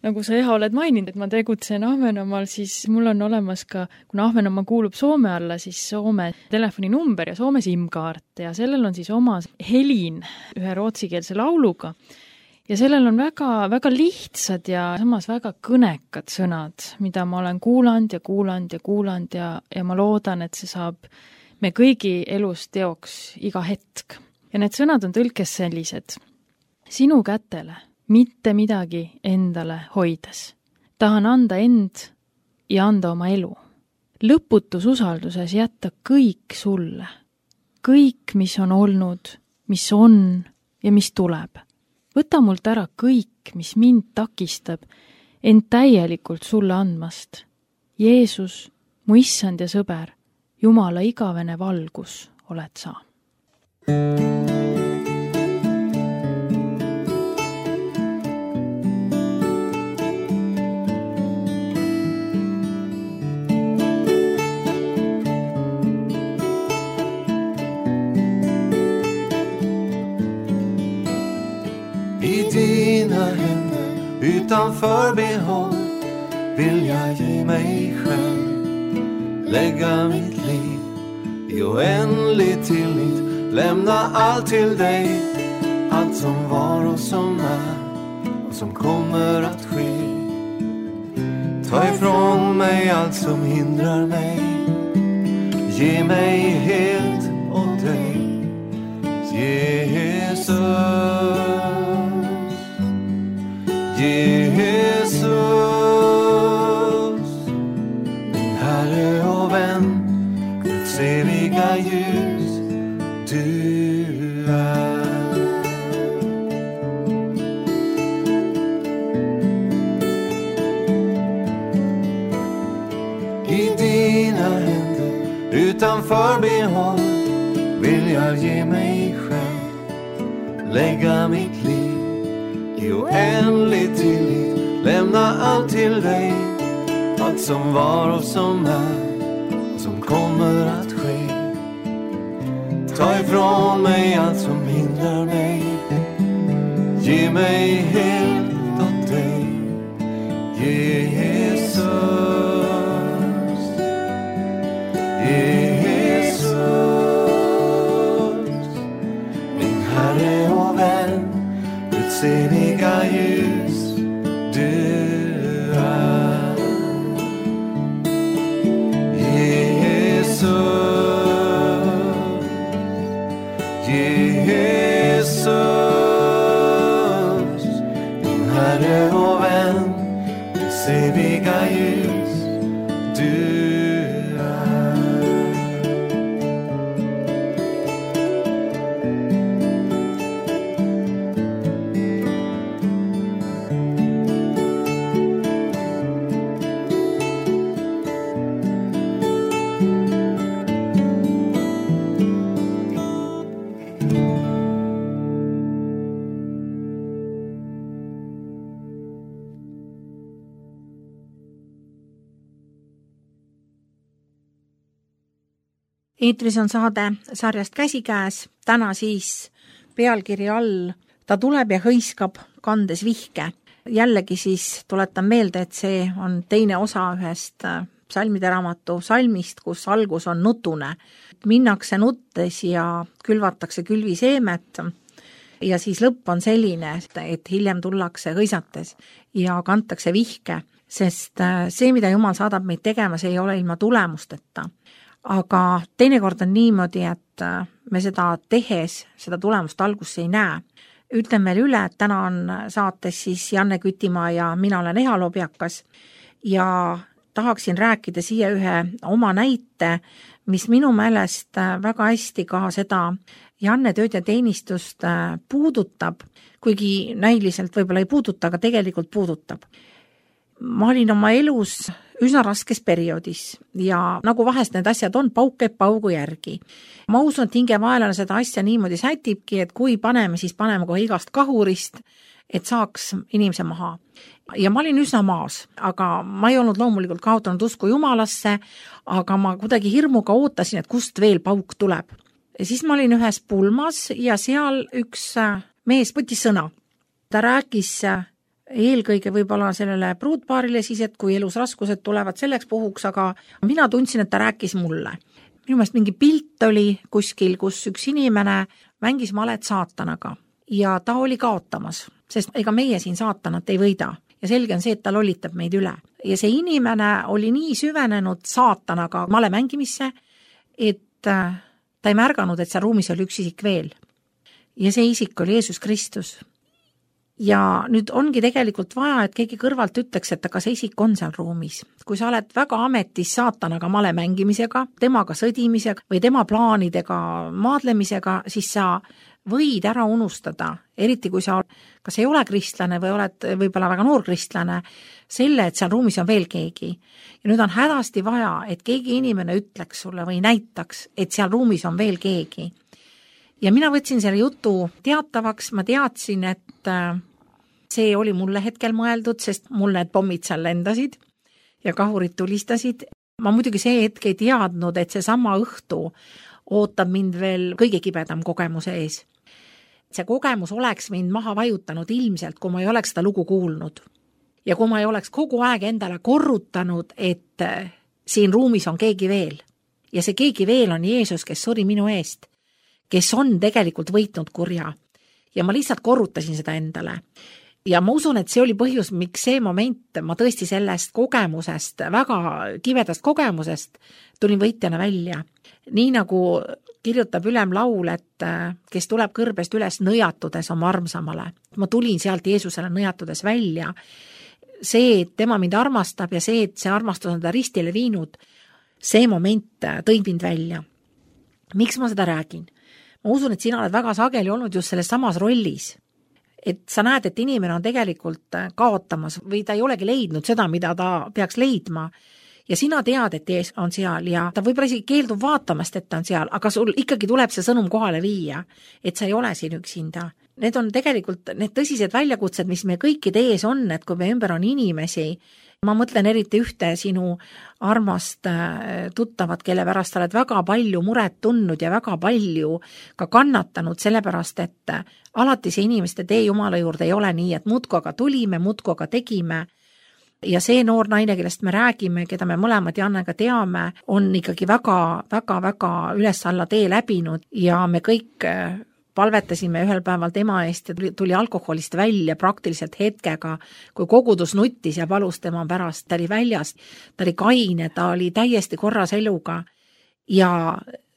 Nagu sa jah oled maininud, et ma tegutsen Ahvenamaal, siis mul on olemas ka, kuna Ahvenamaa kuulub Soome alla, siis Soome telefoninumber ja Soome SIM-kaart ja sellel on siis oma helin ühe rootsikeelse lauluga. Ja sellel on väga, väga lihtsad ja samas väga kõnekad sõnad, mida ma olen kuulanud ja kuulanud ja kuulanud ja, ja ma loodan, et see saab me kõigi elus teoks iga hetk. Ja need sõnad on tõlkes sellised. Sinu kätele mitte midagi endale hoides. Tahan anda end ja anda oma elu. Lõputus usalduses jätta kõik sulle. Kõik, mis on olnud, mis on ja mis tuleb. Võta mult ära kõik, mis mind takistab, end täielikult sulle andmast. Jeesus, mu issand ja sõber, Jumala igavene valgus oled sa. Dina händer utan förbehåll vill jag ge mig själv, lägga mitt liv i oändlig tillit, lämna allt till dig, allt som var och som är och som kommer att ske. Ta ifrån mig allt som hindrar mig, ge mig helt åt dig, Jesus. Jesus, min Herre och vän, Guds eviga ljus, du är. Utan förbehåll vill jag ge mig själv, lägga mitt liv i oändlig tillit, lämna allt till dig, allt som var och som är och som kommer att ske. Ta ifrån mig allt som hindrar mig, ge mig helt åt dig. Jesus, Jesus, min Herre och vän, Guds eviga ljus du är. Jesus, Jesus, min Herre och vän, Guds eviga ljus du är. Eetris on saade sarjast Käsikäes, täna siis pealkiri all Ta tuleb ja hõiskab, kandes vihke. Jällegi siis tuletan meelde, et see on teine osa ühest psalmide raamatu salmist, kus algus on nutune. Minnakse nuttes ja külvatakse külviseemet ja siis lõpp on selline, et hiljem tullakse hõisates ja kantakse vihke, sest see, mida Jumal saadab meid tegema, see ei ole ilma tulemusteta. Aga teinekord on niimoodi, et me seda tehes, seda tulemust algusse ei näe. Ütlen veel üle, et täna on saates siis Janne Kütimaa ja mina olen Eha Lobjakas ja tahaksin rääkida siia ühe oma näite, mis minu meelest väga hästi ka seda Janne tööd ja teenistust puudutab, kuigi näiliselt võib-olla ei puuduta, aga tegelikult puudutab. Ma olin oma elus üsna raskes perioodis ja nagu vahest need asjad on, pauk käib paugu järgi. Ma usun, et hingevaelane seda asja niimoodi sätibki, et kui paneme, siis paneme kohe igast kahurist, et saaks inimese maha. Ja ma olin üsna maas, aga ma ei olnud loomulikult kaotanud usku Jumalasse, aga ma kuidagi hirmuga ootasin, et kust veel pauk tuleb. Ja siis ma olin ühes pulmas ja seal üks mees võttis sõna. Ta rääkis eelkõige võib-olla sellele pruutpaarile siis, et kui elus raskused tulevad selleks puhuks, aga mina tundsin, et ta rääkis mulle. Minu meelest mingi pilt oli kuskil, kus üks inimene mängis malet saatanaga ja ta oli kaotamas, sest ega meie siin saatanat ei võida ja selge on see, et ta lollitab meid üle. Ja see inimene oli nii süvenenud saatanaga male mängimisse, et ta ei märganud, et seal ruumis oli üks isik veel. Ja see isik oli Jeesus Kristus. Ja nüüd ongi tegelikult vaja, et keegi kõrvalt ütleks, et aga see isik on seal ruumis. Kui sa oled väga ametis saatanaga male mängimisega, temaga sõdimisega või tema plaanidega maadlemisega, siis sa võid ära unustada, eriti kui sa kas ei ole kristlane või oled võib-olla väga noor kristlane, selle, et seal ruumis on veel keegi. Ja nüüd on hädasti vaja, et keegi inimene ütleks sulle või näitaks, et seal ruumis on veel keegi. Ja mina võtsin selle jutu teatavaks, ma teadsin, et see oli mulle hetkel mõeldud, sest mul need pommid seal lendasid ja kahurid tulistasid. Ma muidugi see hetk ei teadnud, et see sama õhtu ootab mind veel kõige kibedam kogemuse ees. See kogemus oleks mind maha vajutanud ilmselt, kui ma ei oleks seda lugu kuulnud. Ja kui ma ei oleks kogu aeg endale korrutanud, et siin ruumis on keegi veel. Ja see keegi veel on Jeesus, kes suri minu eest, kes on tegelikult võitnud kurja. Ja ma lihtsalt korrutasin seda endale. Ja ma usun, et see oli põhjus, miks see moment, ma tõesti sellest kogemusest, väga kivedast kogemusest, tulin võitjana välja. Nii nagu kirjutab ülem laul, et kes tuleb kõrbest üles nõjatudes oma armsamale. Ma tulin sealt Jeesusele nõjatudes välja. See, et tema mind armastab ja see, et see armastus on ta ristile viinud, see moment tõi mind välja. Miks ma seda räägin? Ma usun, et sina oled väga sageli olnud just selles samas rollis. Et sa näed, et inimene on tegelikult kaotamas või ta ei olegi leidnud seda, mida ta peaks leidma. ja sina tead, et ees on seal ja ta võib-olla isegi keeldub vaatamast, et ta on seal, aga sul ikkagi tuleb see sõnum kohale viia, et sa ei ole siin üksinda. Need on tegelikult need tõsised väljakutsed, mis me kõikide ees on, et kui me ümber on inimesi, ma mõtlen eriti ühte sinu armast tuttavat, kelle pärast sa oled väga palju muret tundnud ja väga palju ka kannatanud, sellepärast et alati see inimeste tee Jumala juurde ei ole nii, et muudku aga tulime, muudku aga tegime. Ja see noor naine, kellest me räägime, keda me mõlemad Jannega teame, on ikkagi väga, väga, väga üles alla tee läbinud ja me kõik palvetasime ühel päeval tema eest ja tuli, tuli alkoholist välja praktiliselt hetkega, kui kogudus nuttis ja palus tema pärast, ta oli väljas, ta oli kaine, ta oli täiesti korras eluga ja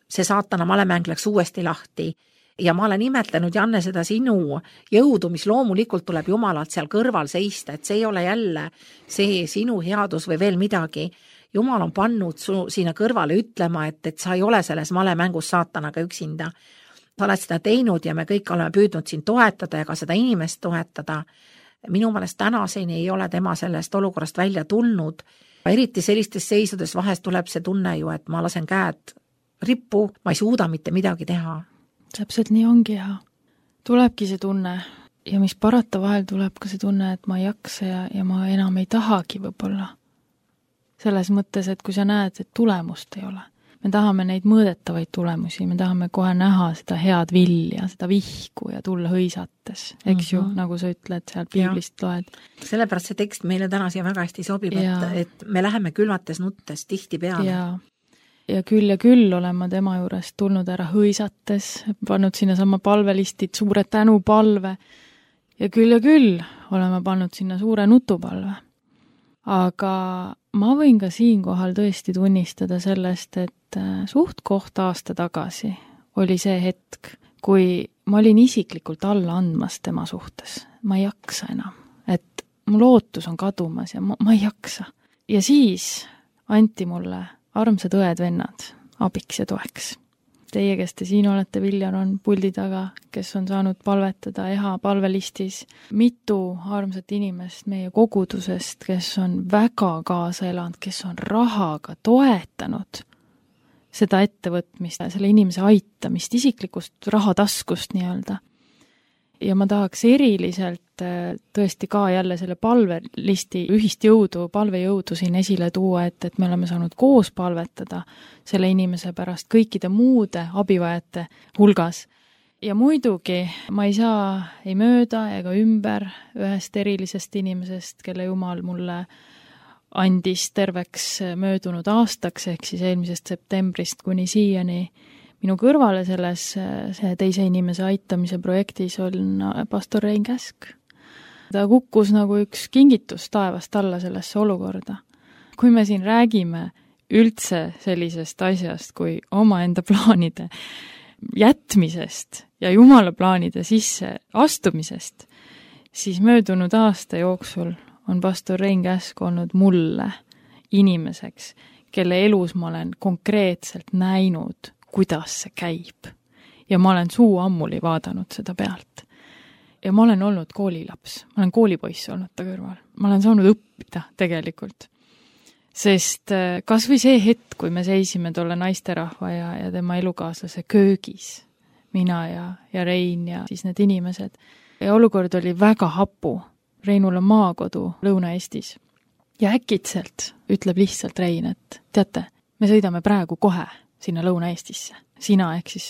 see saatana malemäng läks uuesti lahti. Ja ma olen imetlenud, Janne, seda sinu jõudu, mis loomulikult tuleb Jumalalt seal kõrval seista, et see ei ole jälle see sinu headus või veel midagi. Jumal on pannud su sinna kõrvale ütlema, et, et sa ei ole selles malemängus saatanaga üksinda. Sa oled seda teinud ja me kõik oleme püüdnud sind toetada ja ka seda inimest toetada. Minu meelest tänaseni ei ole tema sellest olukorrast välja tulnud. Eriti sellistes seisudes vahest tuleb see tunne ju, et ma lasen käed rippu, ma ei suuda mitte midagi teha. Täpselt nii ongi ja tulebki see tunne ja mis parata vahel tuleb ka see tunne, et ma ei jaksa ja, ja ma enam ei tahagi võib-olla. Selles mõttes, et kui sa näed, et tulemust ei ole, me tahame neid mõõdetavaid tulemusi, me tahame kohe näha seda head vilja, seda vihku ja tulla hõisates, eks mm-hmm. ju, nagu sa ütled, seal piiblist ja. Loed. Sellepärast see tekst meile täna siia väga hästi sobib, et, et me läheme külvates nuttes tihti peale. Ja. Ja küll ja küll olen ma tema juurest tulnud ära hõisates, pannud sinna sama palvelistid, suure tänupalve ja küll ja küll olen ma pannud sinna suure nutupalve. Aga ma võin ka siinkohal tõesti tunnistada sellest, et suht koht aasta tagasi oli see hetk, kui ma olin isiklikult alla andmas tema suhtes. Ma ei jaksa enam, et mu lootus on kadumas ja ma, ma ei jaksa. Ja siis anti mulle armsad õed-vennad, abiks ja toeks. Teie, kes te siin olete, Viljar on puldi taga, kes on saanud palvetada E H A palvelistis. Mitu armsat inimest meie kogudusest, kes on väga kaasa elanud, kes on rahaga toetanud seda ettevõtmist, selle inimese aitamist, isiklikust rahataskust nii-öelda. Ja ma tahaks eriliselt tõesti ka jälle selle palvelisti ühist jõudu, palvejõudu siin esile tuua, et, et me oleme saanud koos palvetada selle inimese pärast kõikide muude abivajate hulgas. Ja muidugi ma ei saa ei mööda ega ümber ühest erilisest inimesest, kelle Jumal mulle andis terveks möödunud aastaks, ehk siis eelmisest septembrist kuni siiani. Minu kõrvale selles see teise inimese aitamise projektis on pastor Rein Käsk. Ta kukkus nagu üks kingitus taevast alla sellesse olukorda. Kui me siin räägime üldse sellisest asjast kui omaenda plaanide jätmisest ja Jumala plaanide sisse astumisest, siis möödunud aasta jooksul on pastor Rein Käsk olnud mulle inimeseks, kelle elus ma olen konkreetselt näinud, kuidas see käib. Ja ma olen suu ammuli vaadanud seda pealt. Ja ma olen olnud koolilaps, ma olen koolipoiss olnud ta kõrval. Ma olen saanud õppida tegelikult. Sest kas või see hetk, kui me seisime tolle naisterahva ja, ja tema elukaaslase köögis, mina ja, ja Rein ja siis need inimesed. Ja olukord oli väga hapu. Reinul on maakodu Lõuna-Eestis. Ja äkitselt ütleb lihtsalt Rein, et teate, me sõidame praegu kohe sinna Lõuna-Eestisse. Sina ehk siis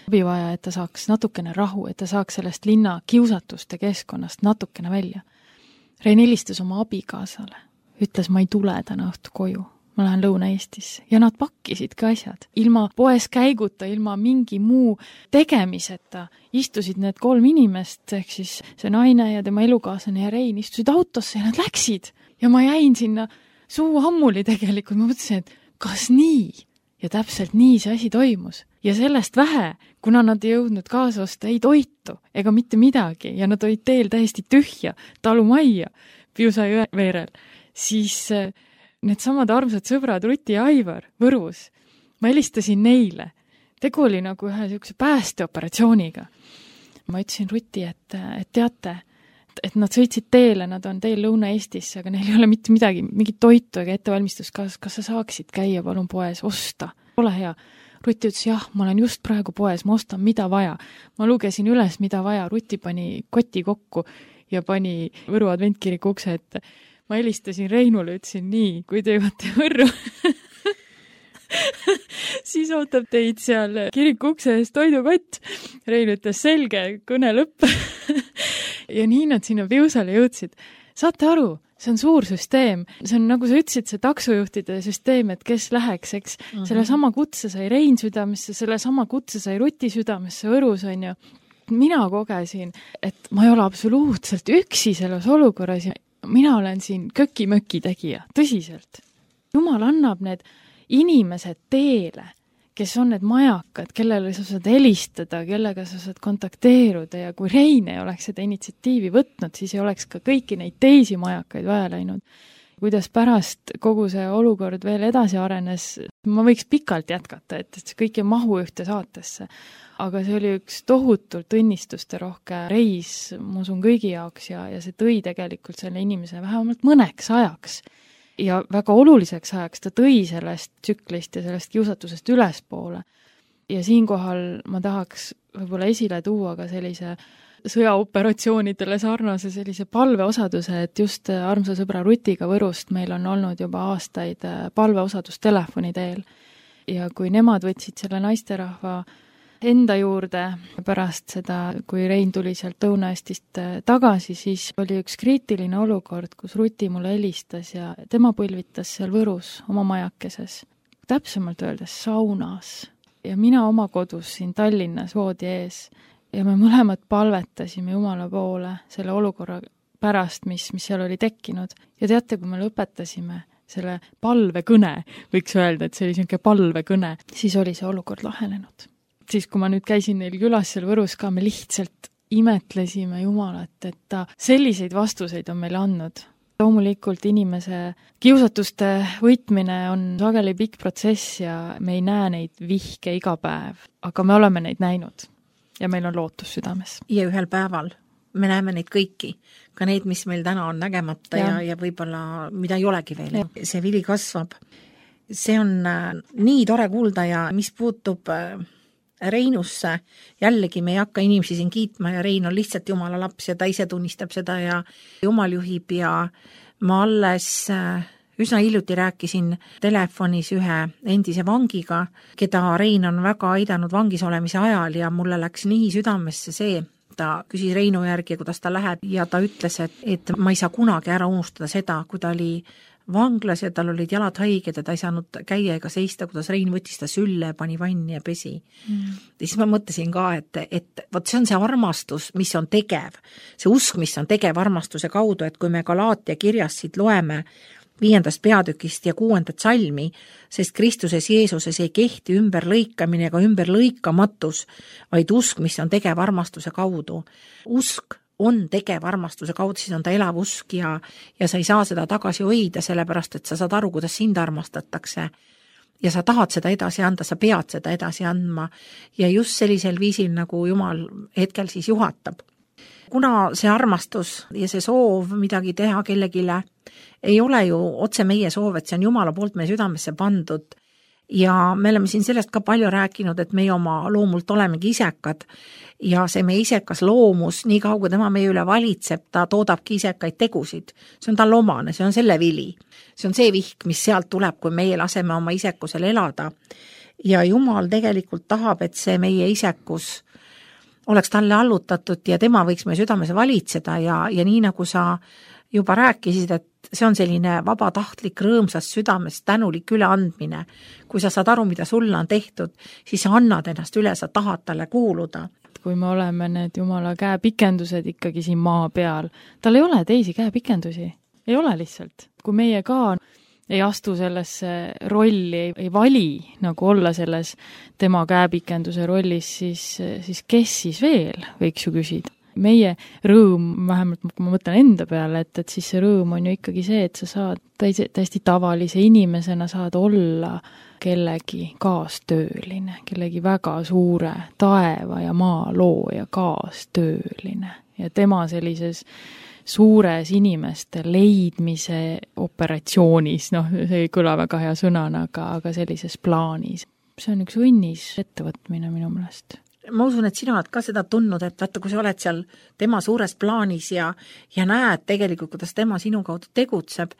abivaja, et ta saaks natukene rahu, et ta saaks sellest linna kiusatuste keskkonnast natukene välja. Rein helistas oma abikaasale, ütles, ma ei tule täna õhtu koju, ma lähen Lõuna-Eestisse. Ja nad pakkisid ka asjad. Ilma poes käiguta, ilma mingi muu tegemiseta istusid need kolm inimest, ehk siis see naine ja tema elukaaslane ja Rein istusid autosse ja nad läksid. Ja ma jäin sinna suu ammuli tegelikult, ma mõtlesin, et kas nii? Ja täpselt nii see asi toimus. Ja sellest vähe, kuna nad ei jõudnud kaasa osta ei toitu ega mitte midagi ja nad olid teel täiesti tühja talumajja Piusa jõe veerel, siis need samad armsad sõbrad Ruti ja Aivar Võrus, ma helistasin neile. Tegu oli nagu ühe niisuguse päästeoperatsiooniga. Ma ütlesin Ruti, et, et teate, et nad sõitsid teele, nad on teel Lõuna-Eestisse, aga neil ei ole mitte midagi, mingit toitu ega ettevalmistust, kas, kas sa saaksid käia palun poes, osta? Ole hea. Ruti ütles, jah, ma olen just praegu poes, ma ostan, mida vaja. Ma lugesin üles, mida vaja, Ruti pani koti kokku ja pani Võru adventkiriku ukse ette. Ma helistasin Reinule, ütlesin nii, kui te jõuate Võrru, siis ootab teid seal kiriku ukse ees toidukott. Rein ütles, selge, kõne lõpp. Ja nii nad sinna Piusale jõudsid. Saate aru, see on suur süsteem. See on, nagu sa ütlesid, see taksojuhtide süsteem, et kes läheks, eks. Mm-hmm. Selle sama kutse sai Rein südamesse, selle sama kutse sai Ruti südamesse Võrus, on ju. Mina kogesin, et ma ei ole absoluutselt üksi selles olukorras ja mina olen siin köki-möki tegija, tõsiselt. Jumal annab need inimesed teele, kes on need majakad, kellele sa saad helistada, kellega sa saad kontakteeruda ja kui Rein ei oleks seda initsiatiivi võtnud, siis ei oleks ka kõiki neid teisi majakaid vaja läinud. Kuidas pärast kogu see olukord veel edasi arenes, ma võiks pikalt jätkata, et see kõik ei mahu ühte saatesse. Aga see oli üks tohutult õnnistuste rohke reis, ma usun kõigi jaoks ja, ja see tõi tegelikult selle inimese vähemalt mõneks ajaks. Ja väga oluliseks ajaks ta tõi sellest tsüklist ja sellest kiusatusest ülespoole. Ja siinkohal ma tahaks võib-olla esile tuua ka sellise sõjaoperatsioonidele sarnase sellise palveosaduse, et just armsa sõbra Rutiga Võrust meil on olnud juba aastaid palveosadus telefoni teel. Ja kui nemad võtsid selle naisterahva enda juurde pärast seda, kui Rein tuli sealt Lõuna-Eestist tagasi, siis oli üks kriitiline olukord, kus Ruti mulle helistas ja tema põlvitas seal Võrus oma majakeses. Täpsemalt öeldes saunas. Ja mina oma kodus siin Tallinnas voodi ees ja me mõlemad palvetasime Jumala poole selle olukorra pärast, mis, mis seal oli tekkinud. Ja teate, kui me lõpetasime selle palvekõne, võiks öelda, et see oli selline palvekõne, siis oli see olukord lahenenud. Siis kui ma nüüd käisin neil külas seal Võrus ka, me lihtsalt imetlesime Jumalat, et ta selliseid vastuseid on meile andnud. Loomulikult inimese kiusatuste võitmine on sageli pikk protsess ja me ei näe neid vihke iga päev, aga me oleme neid näinud ja meil on lootus südames. Ja ühel päeval me näeme neid kõiki, ka neid, mis meil täna on nägemata ja, ja, ja võib-olla mida ei olegi veel. Ja. See vili kasvab. See on äh, nii tore kuulda ja mis puutub äh, Reinusse, jällegi me ei hakka inimesi siin kiitma ja Rein on lihtsalt Jumala laps ja ta ise tunnistab seda ja Jumal juhib ja ma alles üsna hiljuti rääkisin telefonis ühe endise vangiga, keda Rein on väga aidanud vangis olemise ajal ja mulle läks nii südamesse see, ta küsis Reinu järgi, kuidas ta läheb ja ta ütles, et, et ma ei saa kunagi ära unustada seda, kui ta oli vanglas ja tal olid jalad haiged ja ta ei saanud käia ega seista, kuidas Rein võttis ta sülle, pani vanni ja pesi. Mm. Ja siis ma mõtlesin ka, et, et võt see on see armastus, mis on tegev. See usk, mis on tegev armastuse kaudu, et kui me Galaatia kirjast siit loeme viiendast peatükist ja kuuendat salmi, sest Kristuses Jeesuses ei kehti ümberlõikamine ega ümberlõikamatus, vaid usk, mis on tegev armastuse kaudu. Usk on tegev armastuse kaudu, siis on ta elav usk ja, ja sa ei saa seda tagasi hoida, sellepärast, et sa saad aru, kuidas sind armastatakse ja sa tahad seda edasi anda, sa pead seda edasi andma ja just sellisel viisil, nagu Jumal hetkel siis juhatab. Kuna see armastus ja see soov midagi teha kellegile ei ole ju otse meie soov, et see on Jumala poolt meie südamesse pandud ja me oleme siin sellest ka palju rääkinud, et meie oma loomult olemegi isekad ja see meie isekas loomus, nii kaua kui tema meie üle valitseb, ta toodabki isekaid tegusid. See on tal omane, see on selle vili. See on see vihk, mis sealt tuleb, kui meie laseme oma isekusel elada. Ja Jumal tegelikult tahab, et see meie isekus oleks talle allutatud ja tema võiks meie südames valitseda ja, ja nii nagu sa juba rääkisid, et see on selline vabatahtlik, rõõmsast südamest tänulik üleandmine. Kui sa saad aru, mida sulle on tehtud, siis sa annad ennast üle, sa tahad talle kuuluda. Kui me oleme need Jumala käepikendused ikkagi siin maa peal, tal ei ole teisi käepikendusi. Ei ole lihtsalt. Kui meie ka ei astu sellesse rolli, ei, ei vali nagu olla selles tema käepikenduse rollis, siis, siis kes siis veel, võiks ju küsida. Meie rõõm, vähemalt kui ma mõtlen enda peale, et, et siis see rõõm on ju ikkagi see, et sa saad täiesti, täiesti tavalise inimesena saad olla kellegi kaastööline, kellegi väga suure taeva ja maa looja kaastööline. Ja tema sellises suures inimeste leidmise operatsioonis, noh, see ei kõla väga hea sõnana, aga, aga sellises plaanis. See on üks õnnis ettevõtmine minu meelest. Ma usun, et sina oled ka seda tundnud, et vaata, kui sa oled seal tema suures plaanis ja, ja näed tegelikult, kuidas tema sinu kaudu tegutseb,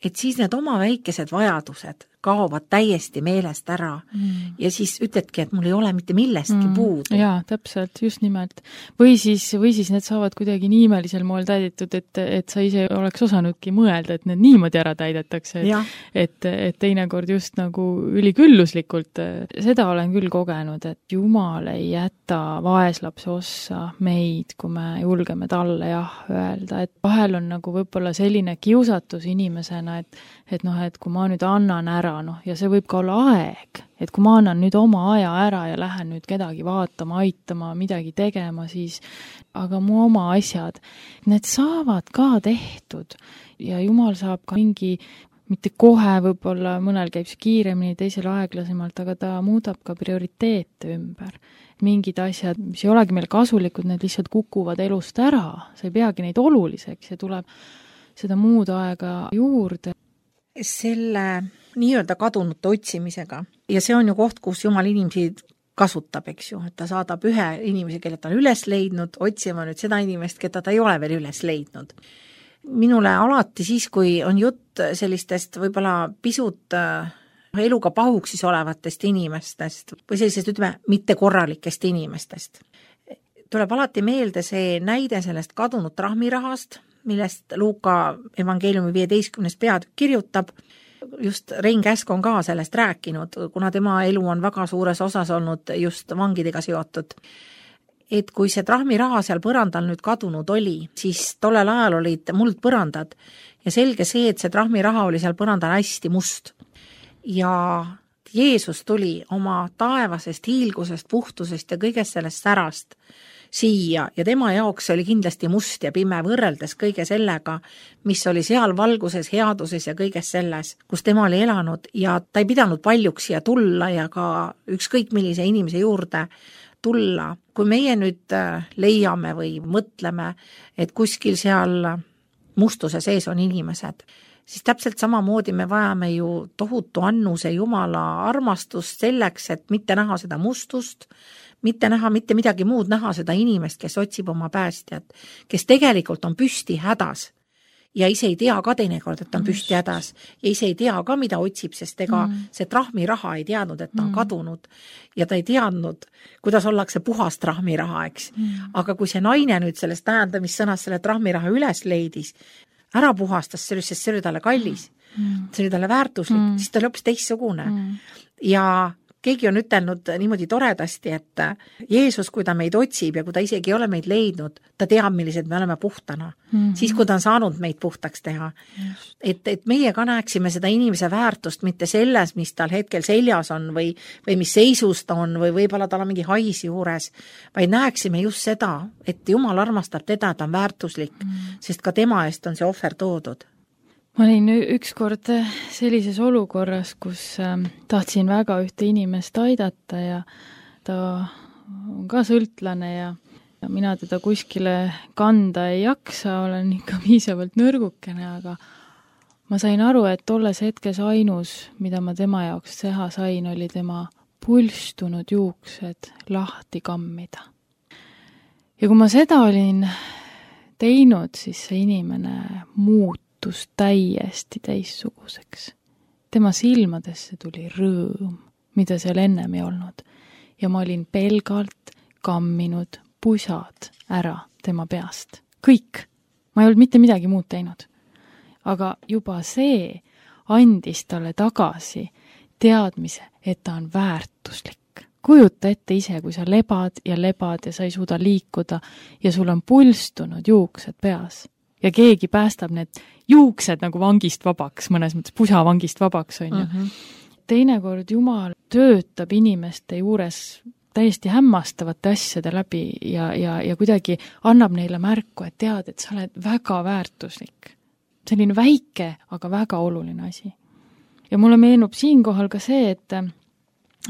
et siis need oma väikesed vajadused kaovad täiesti meelest ära mm. ja siis ütledki, et mul ei ole mitte millestki mm. puudu. Jaa, täpselt, just nimelt. Või siis, või siis need saavad kuidagi nii imelisel moel täidetud, et, et sa ise oleks osanudki mõelda, et need niimoodi ära täidetakse, et, et, et teinekord just nagu ülikülluslikult. Seda olen küll kogenud, et Jumal ei jäta vaeslapse ossa meid, kui me julgeme talle jah öelda, et vahel on nagu võib-olla selline kiusatus inimesena, et, et noh, et kui ma nüüd annan ära, noh, ja see võib ka olla aeg, et kui ma annan nüüd oma aja ära ja lähen nüüd kedagi vaatama, aitama, midagi tegema, siis aga mu oma asjad, need saavad ka tehtud ja Jumal saab ka mingi, mitte kohe võib-olla, mõnel käib see kiiremini, teisel aeglasemalt, aga ta muudab ka prioriteete ümber. Mingid asjad, mis ei olegi meil kasulikud, need lihtsalt kukuvad elust ära, sa ei peagi neid oluliseks ja tuleb seda muud aega juurde. Selle nii-öelda kadunute otsimisega. Ja see on ju koht, kus Jumal inimesi kasutab, eks ju, et ta saadab ühe inimese, kelle ta on üles leidnud, otsima nüüd seda inimest, keda ta ei ole veel üles leidnud. Minule alati siis, kui on jutt sellistest võib-olla pisut eluga pahuksis olevatest inimestest või sellisest, ütleme, mitte korralikest inimestest, tuleb alati meelde see näide sellest kadunud trahmirahast, millest Luuka evangeeliumi viieteistkümnes peatükk kirjutab. Just Rein Käsk on ka sellest rääkinud, kuna tema elu on väga suures osas olnud just vangidega seotud. Et kui see trahmiraha seal põrandal nüüd kadunud oli, siis tollel ajal olid muldpõrandad ja selge see, et see trahmiraha oli seal põrandal hästi must. Ja Jeesus tuli oma taevasest hiilgusest, puhtusest ja kõigest sellest särast siia ja tema jaoks oli kindlasti must ja pime võrreldes kõige sellega, mis oli seal valguses, headuses ja kõiges selles, kus tema oli elanud ja ta ei pidanud paljuks siia tulla ja ka ükskõik millise inimese juurde tulla. Kui meie nüüd leiame või mõtleme, et kuskil seal mustuse sees on inimesed, siis täpselt samamoodi me vajame ju tohutu annuse Jumala armastust selleks, et mitte näha seda mustust, mitte näha mitte midagi muud, näha seda inimest, kes otsib oma päästjat, kes tegelikult on püsti hädas ja ise ei tea ka teinekord, et ta on püsti hädas ja ise ei tea ka, mida otsib, sest ega mm. see trahmiraha ei teadnud, et ta on mm. kadunud ja ta ei teadnud, kuidas ollakse puhas trahmiraha, eks. Mm. Aga kui see naine nüüd sellest tähendamissõnas selle trahmiraha üles leidis, ära puhastas sellest, sest see oli talle kallis, mm. see oli talle väärtuslik, mm. siis ta oli hoopis teistsugune. Mm. Ja keegi on ütelnud niimoodi toredasti, et Jeesus, kui ta meid otsib ja kui ta isegi ei ole meid leidnud, ta teab, millised me oleme puhtana. Mm-hmm. Siis, kui ta on saanud meid puhtaks teha. Just. Et, et meie ka näeksime seda inimese väärtust mitte selles, mis tal hetkel seljas on või, või mis seisus ta on või võib-olla tal on mingi hais juures, vaid näeksime just seda, et Jumal armastab teda, ta on väärtuslik, mm-hmm. sest ka tema eest on see ohver toodud. Ma olin ükskord sellises olukorras, kus tahtsin väga ühte inimest aidata ja ta on ka sõltlane ja mina teda kuskile kanda ei jaksa, olen ikka piisavalt nõrgukene, aga ma sain aru, et tolles hetkes ainus, mida ma tema jaoks teha sain, oli tema pulstunud juuksed lahti kammida. Ja kui ma seda olin teinud, siis see inimene muut täiesti teissuguseks. Tema silmadesse tuli rõõm, mida seal ennem ei olnud. Ja ma olin pelgalt kamminud pusad ära tema peast. Kõik. Ma ei olnud mitte midagi muud teinud. Aga juba see andis talle tagasi teadmise, et ta on väärtuslik. Kujuta ette ise, kui sa lebad ja lebad ja sa ei suuda liikuda ja sul on pulstunud juuksed peas. Ja keegi päästab need juuksed nagu vangist vabaks, mõnes mõttes pusa vangist vabaks on ju. Mm-hmm. Teinekord Jumal töötab inimeste juures täiesti hämmastavate asjade läbi ja, ja, ja kuidagi annab neile märku, et tead, et sa oled väga väärtuslik. Selline väike, aga väga oluline asi. Ja mulle meenub siinkohal ka see, et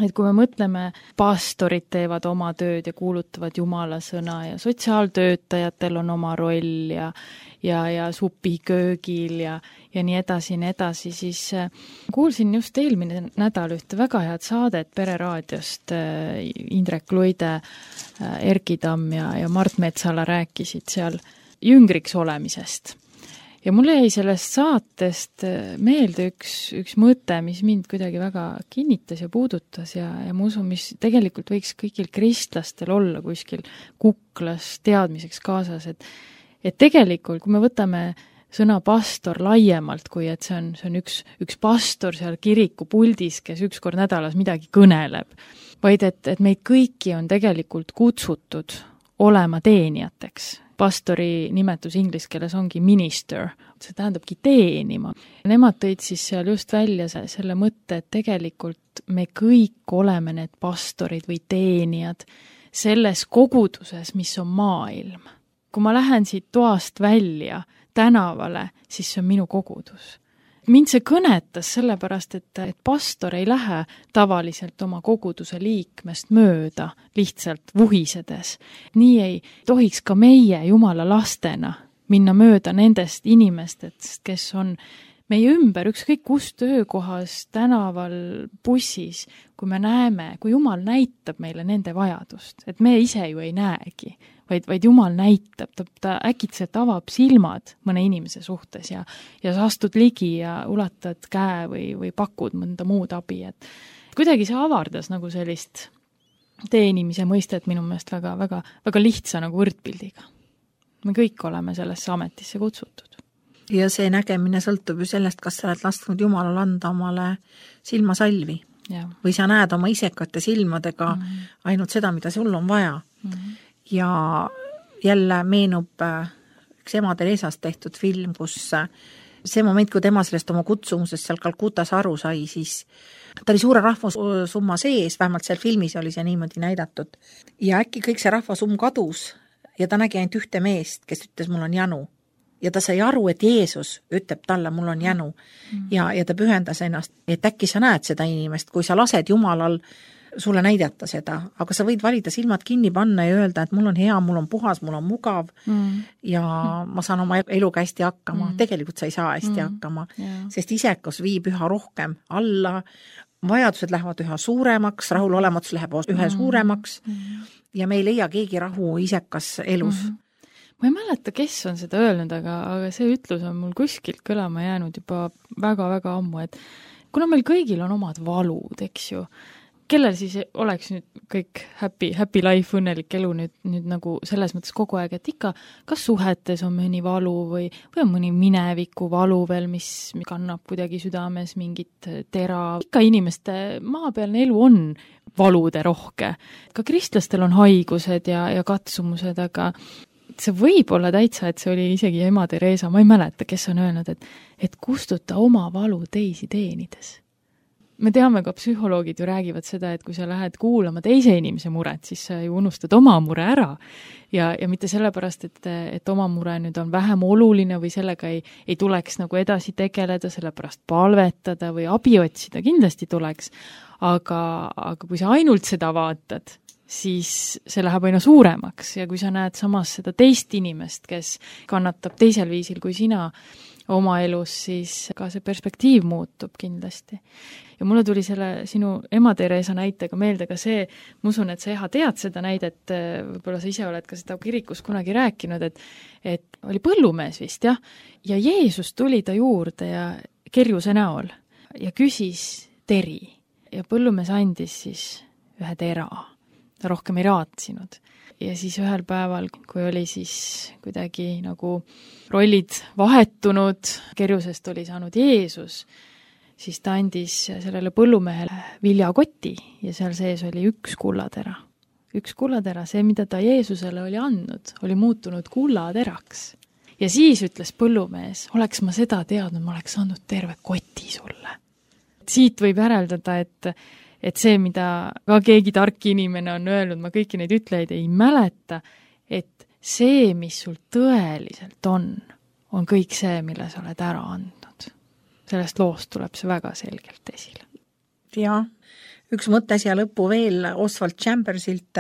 et kui me mõtleme, pastorid teevad oma tööd ja kuulutavad Jumala sõna ja sotsiaaltöötajatel on oma roll ja ja, ja supiköögil ja, ja nii edasi, nii edasi, siis kuulsin just eelmine nädal ühte väga head saadet Pereraadiost, Indrek Luide, Erki Tamm ja, ja Mart Metsala rääkisid seal jüngriks olemisest. Ja mulle jäi sellest saatest meelde üks, üks mõte, mis mind kuidagi väga kinnitas ja puudutas ja, ja ma usun, mis tegelikult võiks kõigil kristlastel olla kuskil kuklas teadmiseks kaasas, et, et tegelikult, kui me võtame sõna pastor laiemalt, kui et see on, see on üks, üks pastor seal kiriku puldis, kes üks kord nädalas midagi kõneleb, vaid et, et meid kõiki on tegelikult kutsutud olema teenijateks. Pastori nimetus inglise keeles ongi minister, see tähendabki teenima. Nemad tõid siis seal just välja selle mõtte, et tegelikult me kõik oleme need pastorid või teenijad selles koguduses, mis on maailm. Kui ma lähen siit toast välja tänavale, siis see on minu kogudus. Mind see kõnetas sellepärast, et, et pastor ei lähe tavaliselt oma koguduse liikmest mööda, lihtsalt vuhisedes. Nii ei tohiks ka meie Jumala lastena minna mööda nendest inimestest, kes on meie ümber, ükskõik kus töökohas, tänaval, bussis, kui me näeme, kui Jumal näitab meile nende vajadust, et me ise ju ei näegi, vaid, vaid Jumal näitab, ta, ta äkitselt avab silmad mõne inimese suhtes ja, ja sa astud ligi ja ulatad käe või, või pakud mõnda muud abi. Et kuidagi see avardas nagu sellist teenimise mõistet minu meelest väga, väga, väga lihtsa nagu võrdpildiga. Me kõik oleme sellesse ametisse kutsutud. Ja see nägemine sõltub ju sellest, kas sa oled lasknud Jumalal anda omale silmasalvi ja. Või sa näed oma isekate silmadega mm-hmm. ainult seda, mida sul on vaja. Mm-hmm. Ja jälle meenub üks ema Teresast tehtud film, kus see moment, kui tema sellest oma kutsumusest seal Kalkutas aru sai, siis ta oli suure rahvasumma sees, vähemalt seal filmis oli see niimoodi näidatud. Ja äkki kõik see rahvasumm kadus ja ta nägi ainult ühte meest, kes ütles, mul on janu. Ja ta sai aru, et Jeesus ütleb talle, mul on janu. Mm-hmm. Ja, ja ta pühendas ennast, et äkki sa näed seda inimest, kui sa lased Jumalal sulle näidata seda, aga sa võid valida silmad kinni panna ja öelda, et mul on hea, mul on puhas, mul on mugav mm. ja ma saan oma eluga hästi hakkama. Mm. Tegelikult sa ei saa hästi mm. hakkama, yeah. sest isekus viib üha rohkem alla, vajadused lähevad üha suuremaks, rahulolematus läheb üha mm. suuremaks mm. ja me ei leia keegi rahu isekas elus. Mm. Ma ei mäleta, kes on seda öelnud, aga, aga see ütlus on mul kuskilt kõlama jäänud juba väga-väga ammu, et kuna meil kõigil on omad valud, eks ju, kellel siis oleks nüüd kõik happy, happy life, õnnelik elu nüüd, nüüd nagu selles mõttes kogu aeg, et ikka kas suhetes on mõni valu või, või on mõni mineviku valu veel, mis kannab kuidagi südames mingit tera. Ikka inimeste maapealne elu on valude rohke. Ka kristlastel on haigused ja, ja katsumused, aga see võib olla täitsa, et see oli isegi ema Teresa, ma ei mäleta, kes on öelnud, et, et kustuta oma valu teisi teenides. Me teame, ka psühholoogid ju räägivad seda, et kui sa lähed kuulama teise inimese muret, siis sa ju unustad oma mure ära. Ja, ja mitte sellepärast, et, et oma mure nüüd on vähem oluline või sellega ei, ei tuleks nagu edasi tegeleda, sellepärast palvetada või abi otsida, kindlasti tuleks. Aga, aga kui sa ainult seda vaatad, siis see läheb aina suuremaks ja kui sa näed samas seda teist inimest, kes kannatab teisel viisil kui sina oma elus, siis ka see perspektiiv muutub kindlasti. Ja mulle tuli selle sinu ema Teresa näitega meelde ka see, ma usun, et sa Eha tead seda näidet, võib-olla sa ise oled ka seda kirikus kunagi rääkinud, et, et oli põllumees vist, jah, ja Jeesus tuli ta juurde ja kerjuse näol ja küsis teri ja põllumees andis siis ühe tera, ta rohkem ei raatsinud. Ja siis ühel päeval, kui oli siis kuidagi nagu rollid vahetunud, kerjusest oli saanud Jeesus, siis ta andis sellele põllumehele viljakoti ja seal sees oli üks kullatera. Üks kullatera, see, mida ta Jeesusele oli andnud, oli muutunud kullateraks. Ja siis ütles põllumees, oleks ma seda teadnud, ma oleks andnud terve koti sulle. Siit võib järeldada, et et see, mida ka keegi tark inimene on öelnud, ma kõiki neid ütlejaid ei mäleta, et see, mis sul tõeliselt on, on kõik see, mille sa oled ära andnud. Sellest loost tuleb see väga selgelt esile. Ja, üks mõte siia lõppu veel Oswald Chambersilt,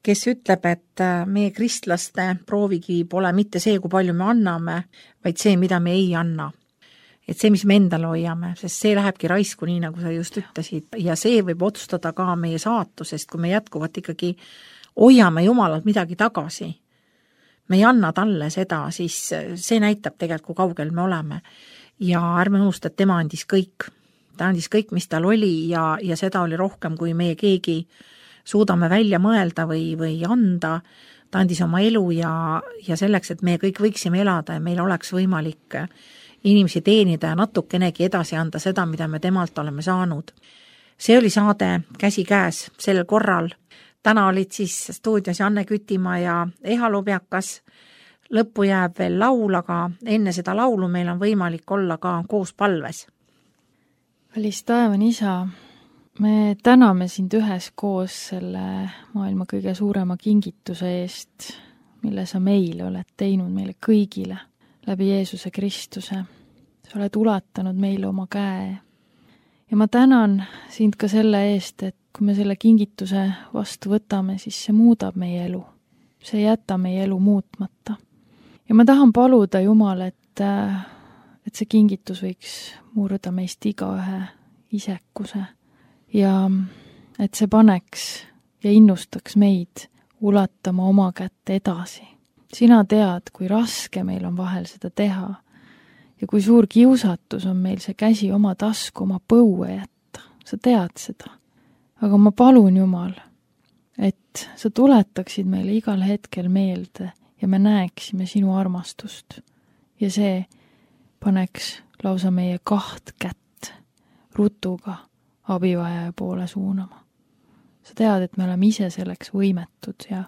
kes ütleb, et meie kristlaste proovikivi pole mitte see, kui palju me anname, vaid see, mida me ei anna. Et see, mis me endale hoiame, sest see lähebki raisku, nii nagu sa just ütlesid, ja see võib otsustada ka meie saatusest, kui me jätkuvalt ikkagi hoiame Jumalalt midagi tagasi. Me ei anna talle seda, siis see näitab tegelikult, kui kaugel me oleme. Ja ärme unusta, et tema andis kõik. Ta andis kõik, mis tal oli ja, ja seda oli rohkem, kui meie keegi suudame välja mõelda või, või anda. Ta andis oma elu ja, ja selleks, et me kõik võiksime elada ja meil oleks võimalik inimesi teenida ja natukenegi edasi anda seda, mida me temalt oleme saanud. See oli saade Käsi käes sel korral. Täna olid siis stuudios Janne Kütimaa ja Eha Lubjakas. Lõppu jääb veel laul, aga enne seda laulu meil on võimalik olla ka koos palves. Kallis taevan isa, me täname sind ühes koos selle maailma kõige suurema kingituse eest, mille sa meile oled teinud meile kõigile läbi Jeesuse Kristuse. Sa oled ulatanud meile oma käe. Ja ma tänan sind ka selle eest, et kui me selle kingituse vastu võtame, siis see muudab meie elu. See ei jäta meie elu muutmata. Ja ma tahan paluda Jumal, et, et see kingitus võiks murda meist igaühe isekuse ja et see paneks ja innustaks meid ulatama oma kätte edasi. Sina tead, kui raske meil on vahel seda teha ja kui suur kiusatus on meil see käsi oma tasku, oma põue jätta. Sa tead seda. Aga ma palun Jumal, et sa tuletaksid meile igal hetkel meelde ja me näeksime sinu armastust. Ja see paneks lausa meie kaht kätt rutuga abivajaja poole suunama. Sa tead, et me oleme ise selleks võimetud ja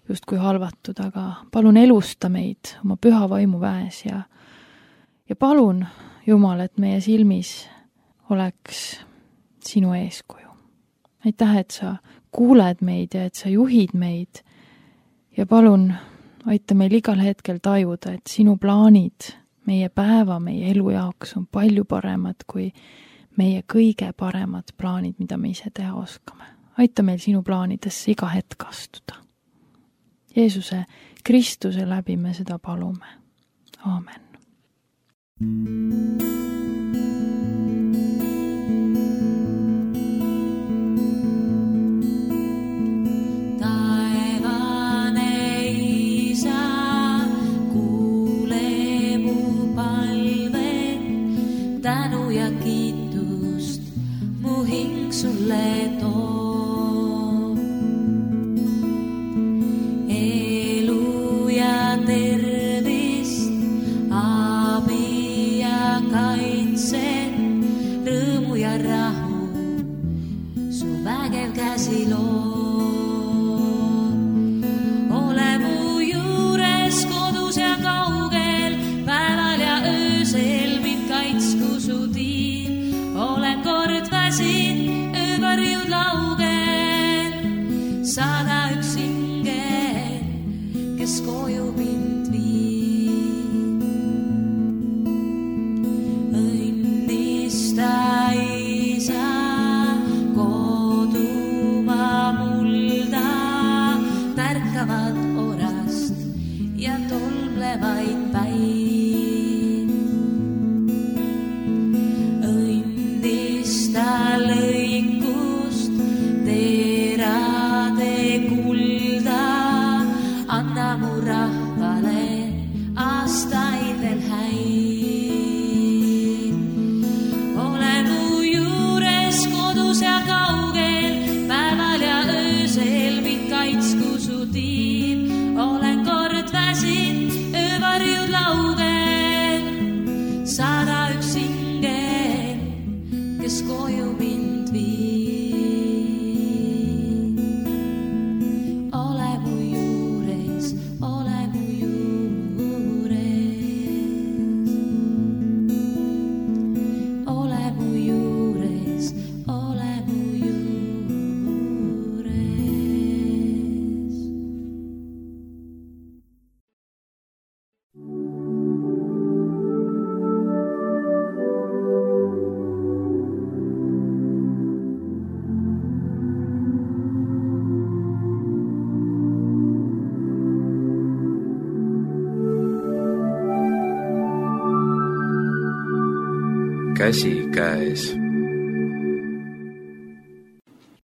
justkui halvatud, aga palun elusta meid oma püha vaimu väes ja, ja palun, Jumal, et meie silmis oleks sinu eeskuju. Aitäh, et sa kuuled meid ja et sa juhid meid ja palun aita meil igal hetkel tajuda, et sinu plaanid meie päeva, meie elu jaoks on palju paremad kui meie kõige paremad plaanid, mida me ise teha oskame. Aita meil sinu plaanidesse iga hetk astuda. Jeesuse Kristuse läbi me seda palume. Aamen. Taevane isa, kuule mu palve, tänu ja kiitust mu hing sulle too. Ole mu juures kodus ja kaugel, päeval ja öösel mind kaitsku su tiim. Olen kord väsin, öövarjud laugel, saada üks ingel, kes koju mind viib. Õnnista isa tärkavad orast ja tolmlevaid päid. Õnnista lõikust terade kulda, anna mu rahvale aastaid veel häid. Ole mu juures kodus ja kaugel, päeval ja öösel mind kaitsku su tiim. Olen kord väsin, öövarjud laugel, saada üks ingel, kes koju mind viib. Ole mu juures, ole mu juures, ole mu juures, ole mu juures. käsikäes.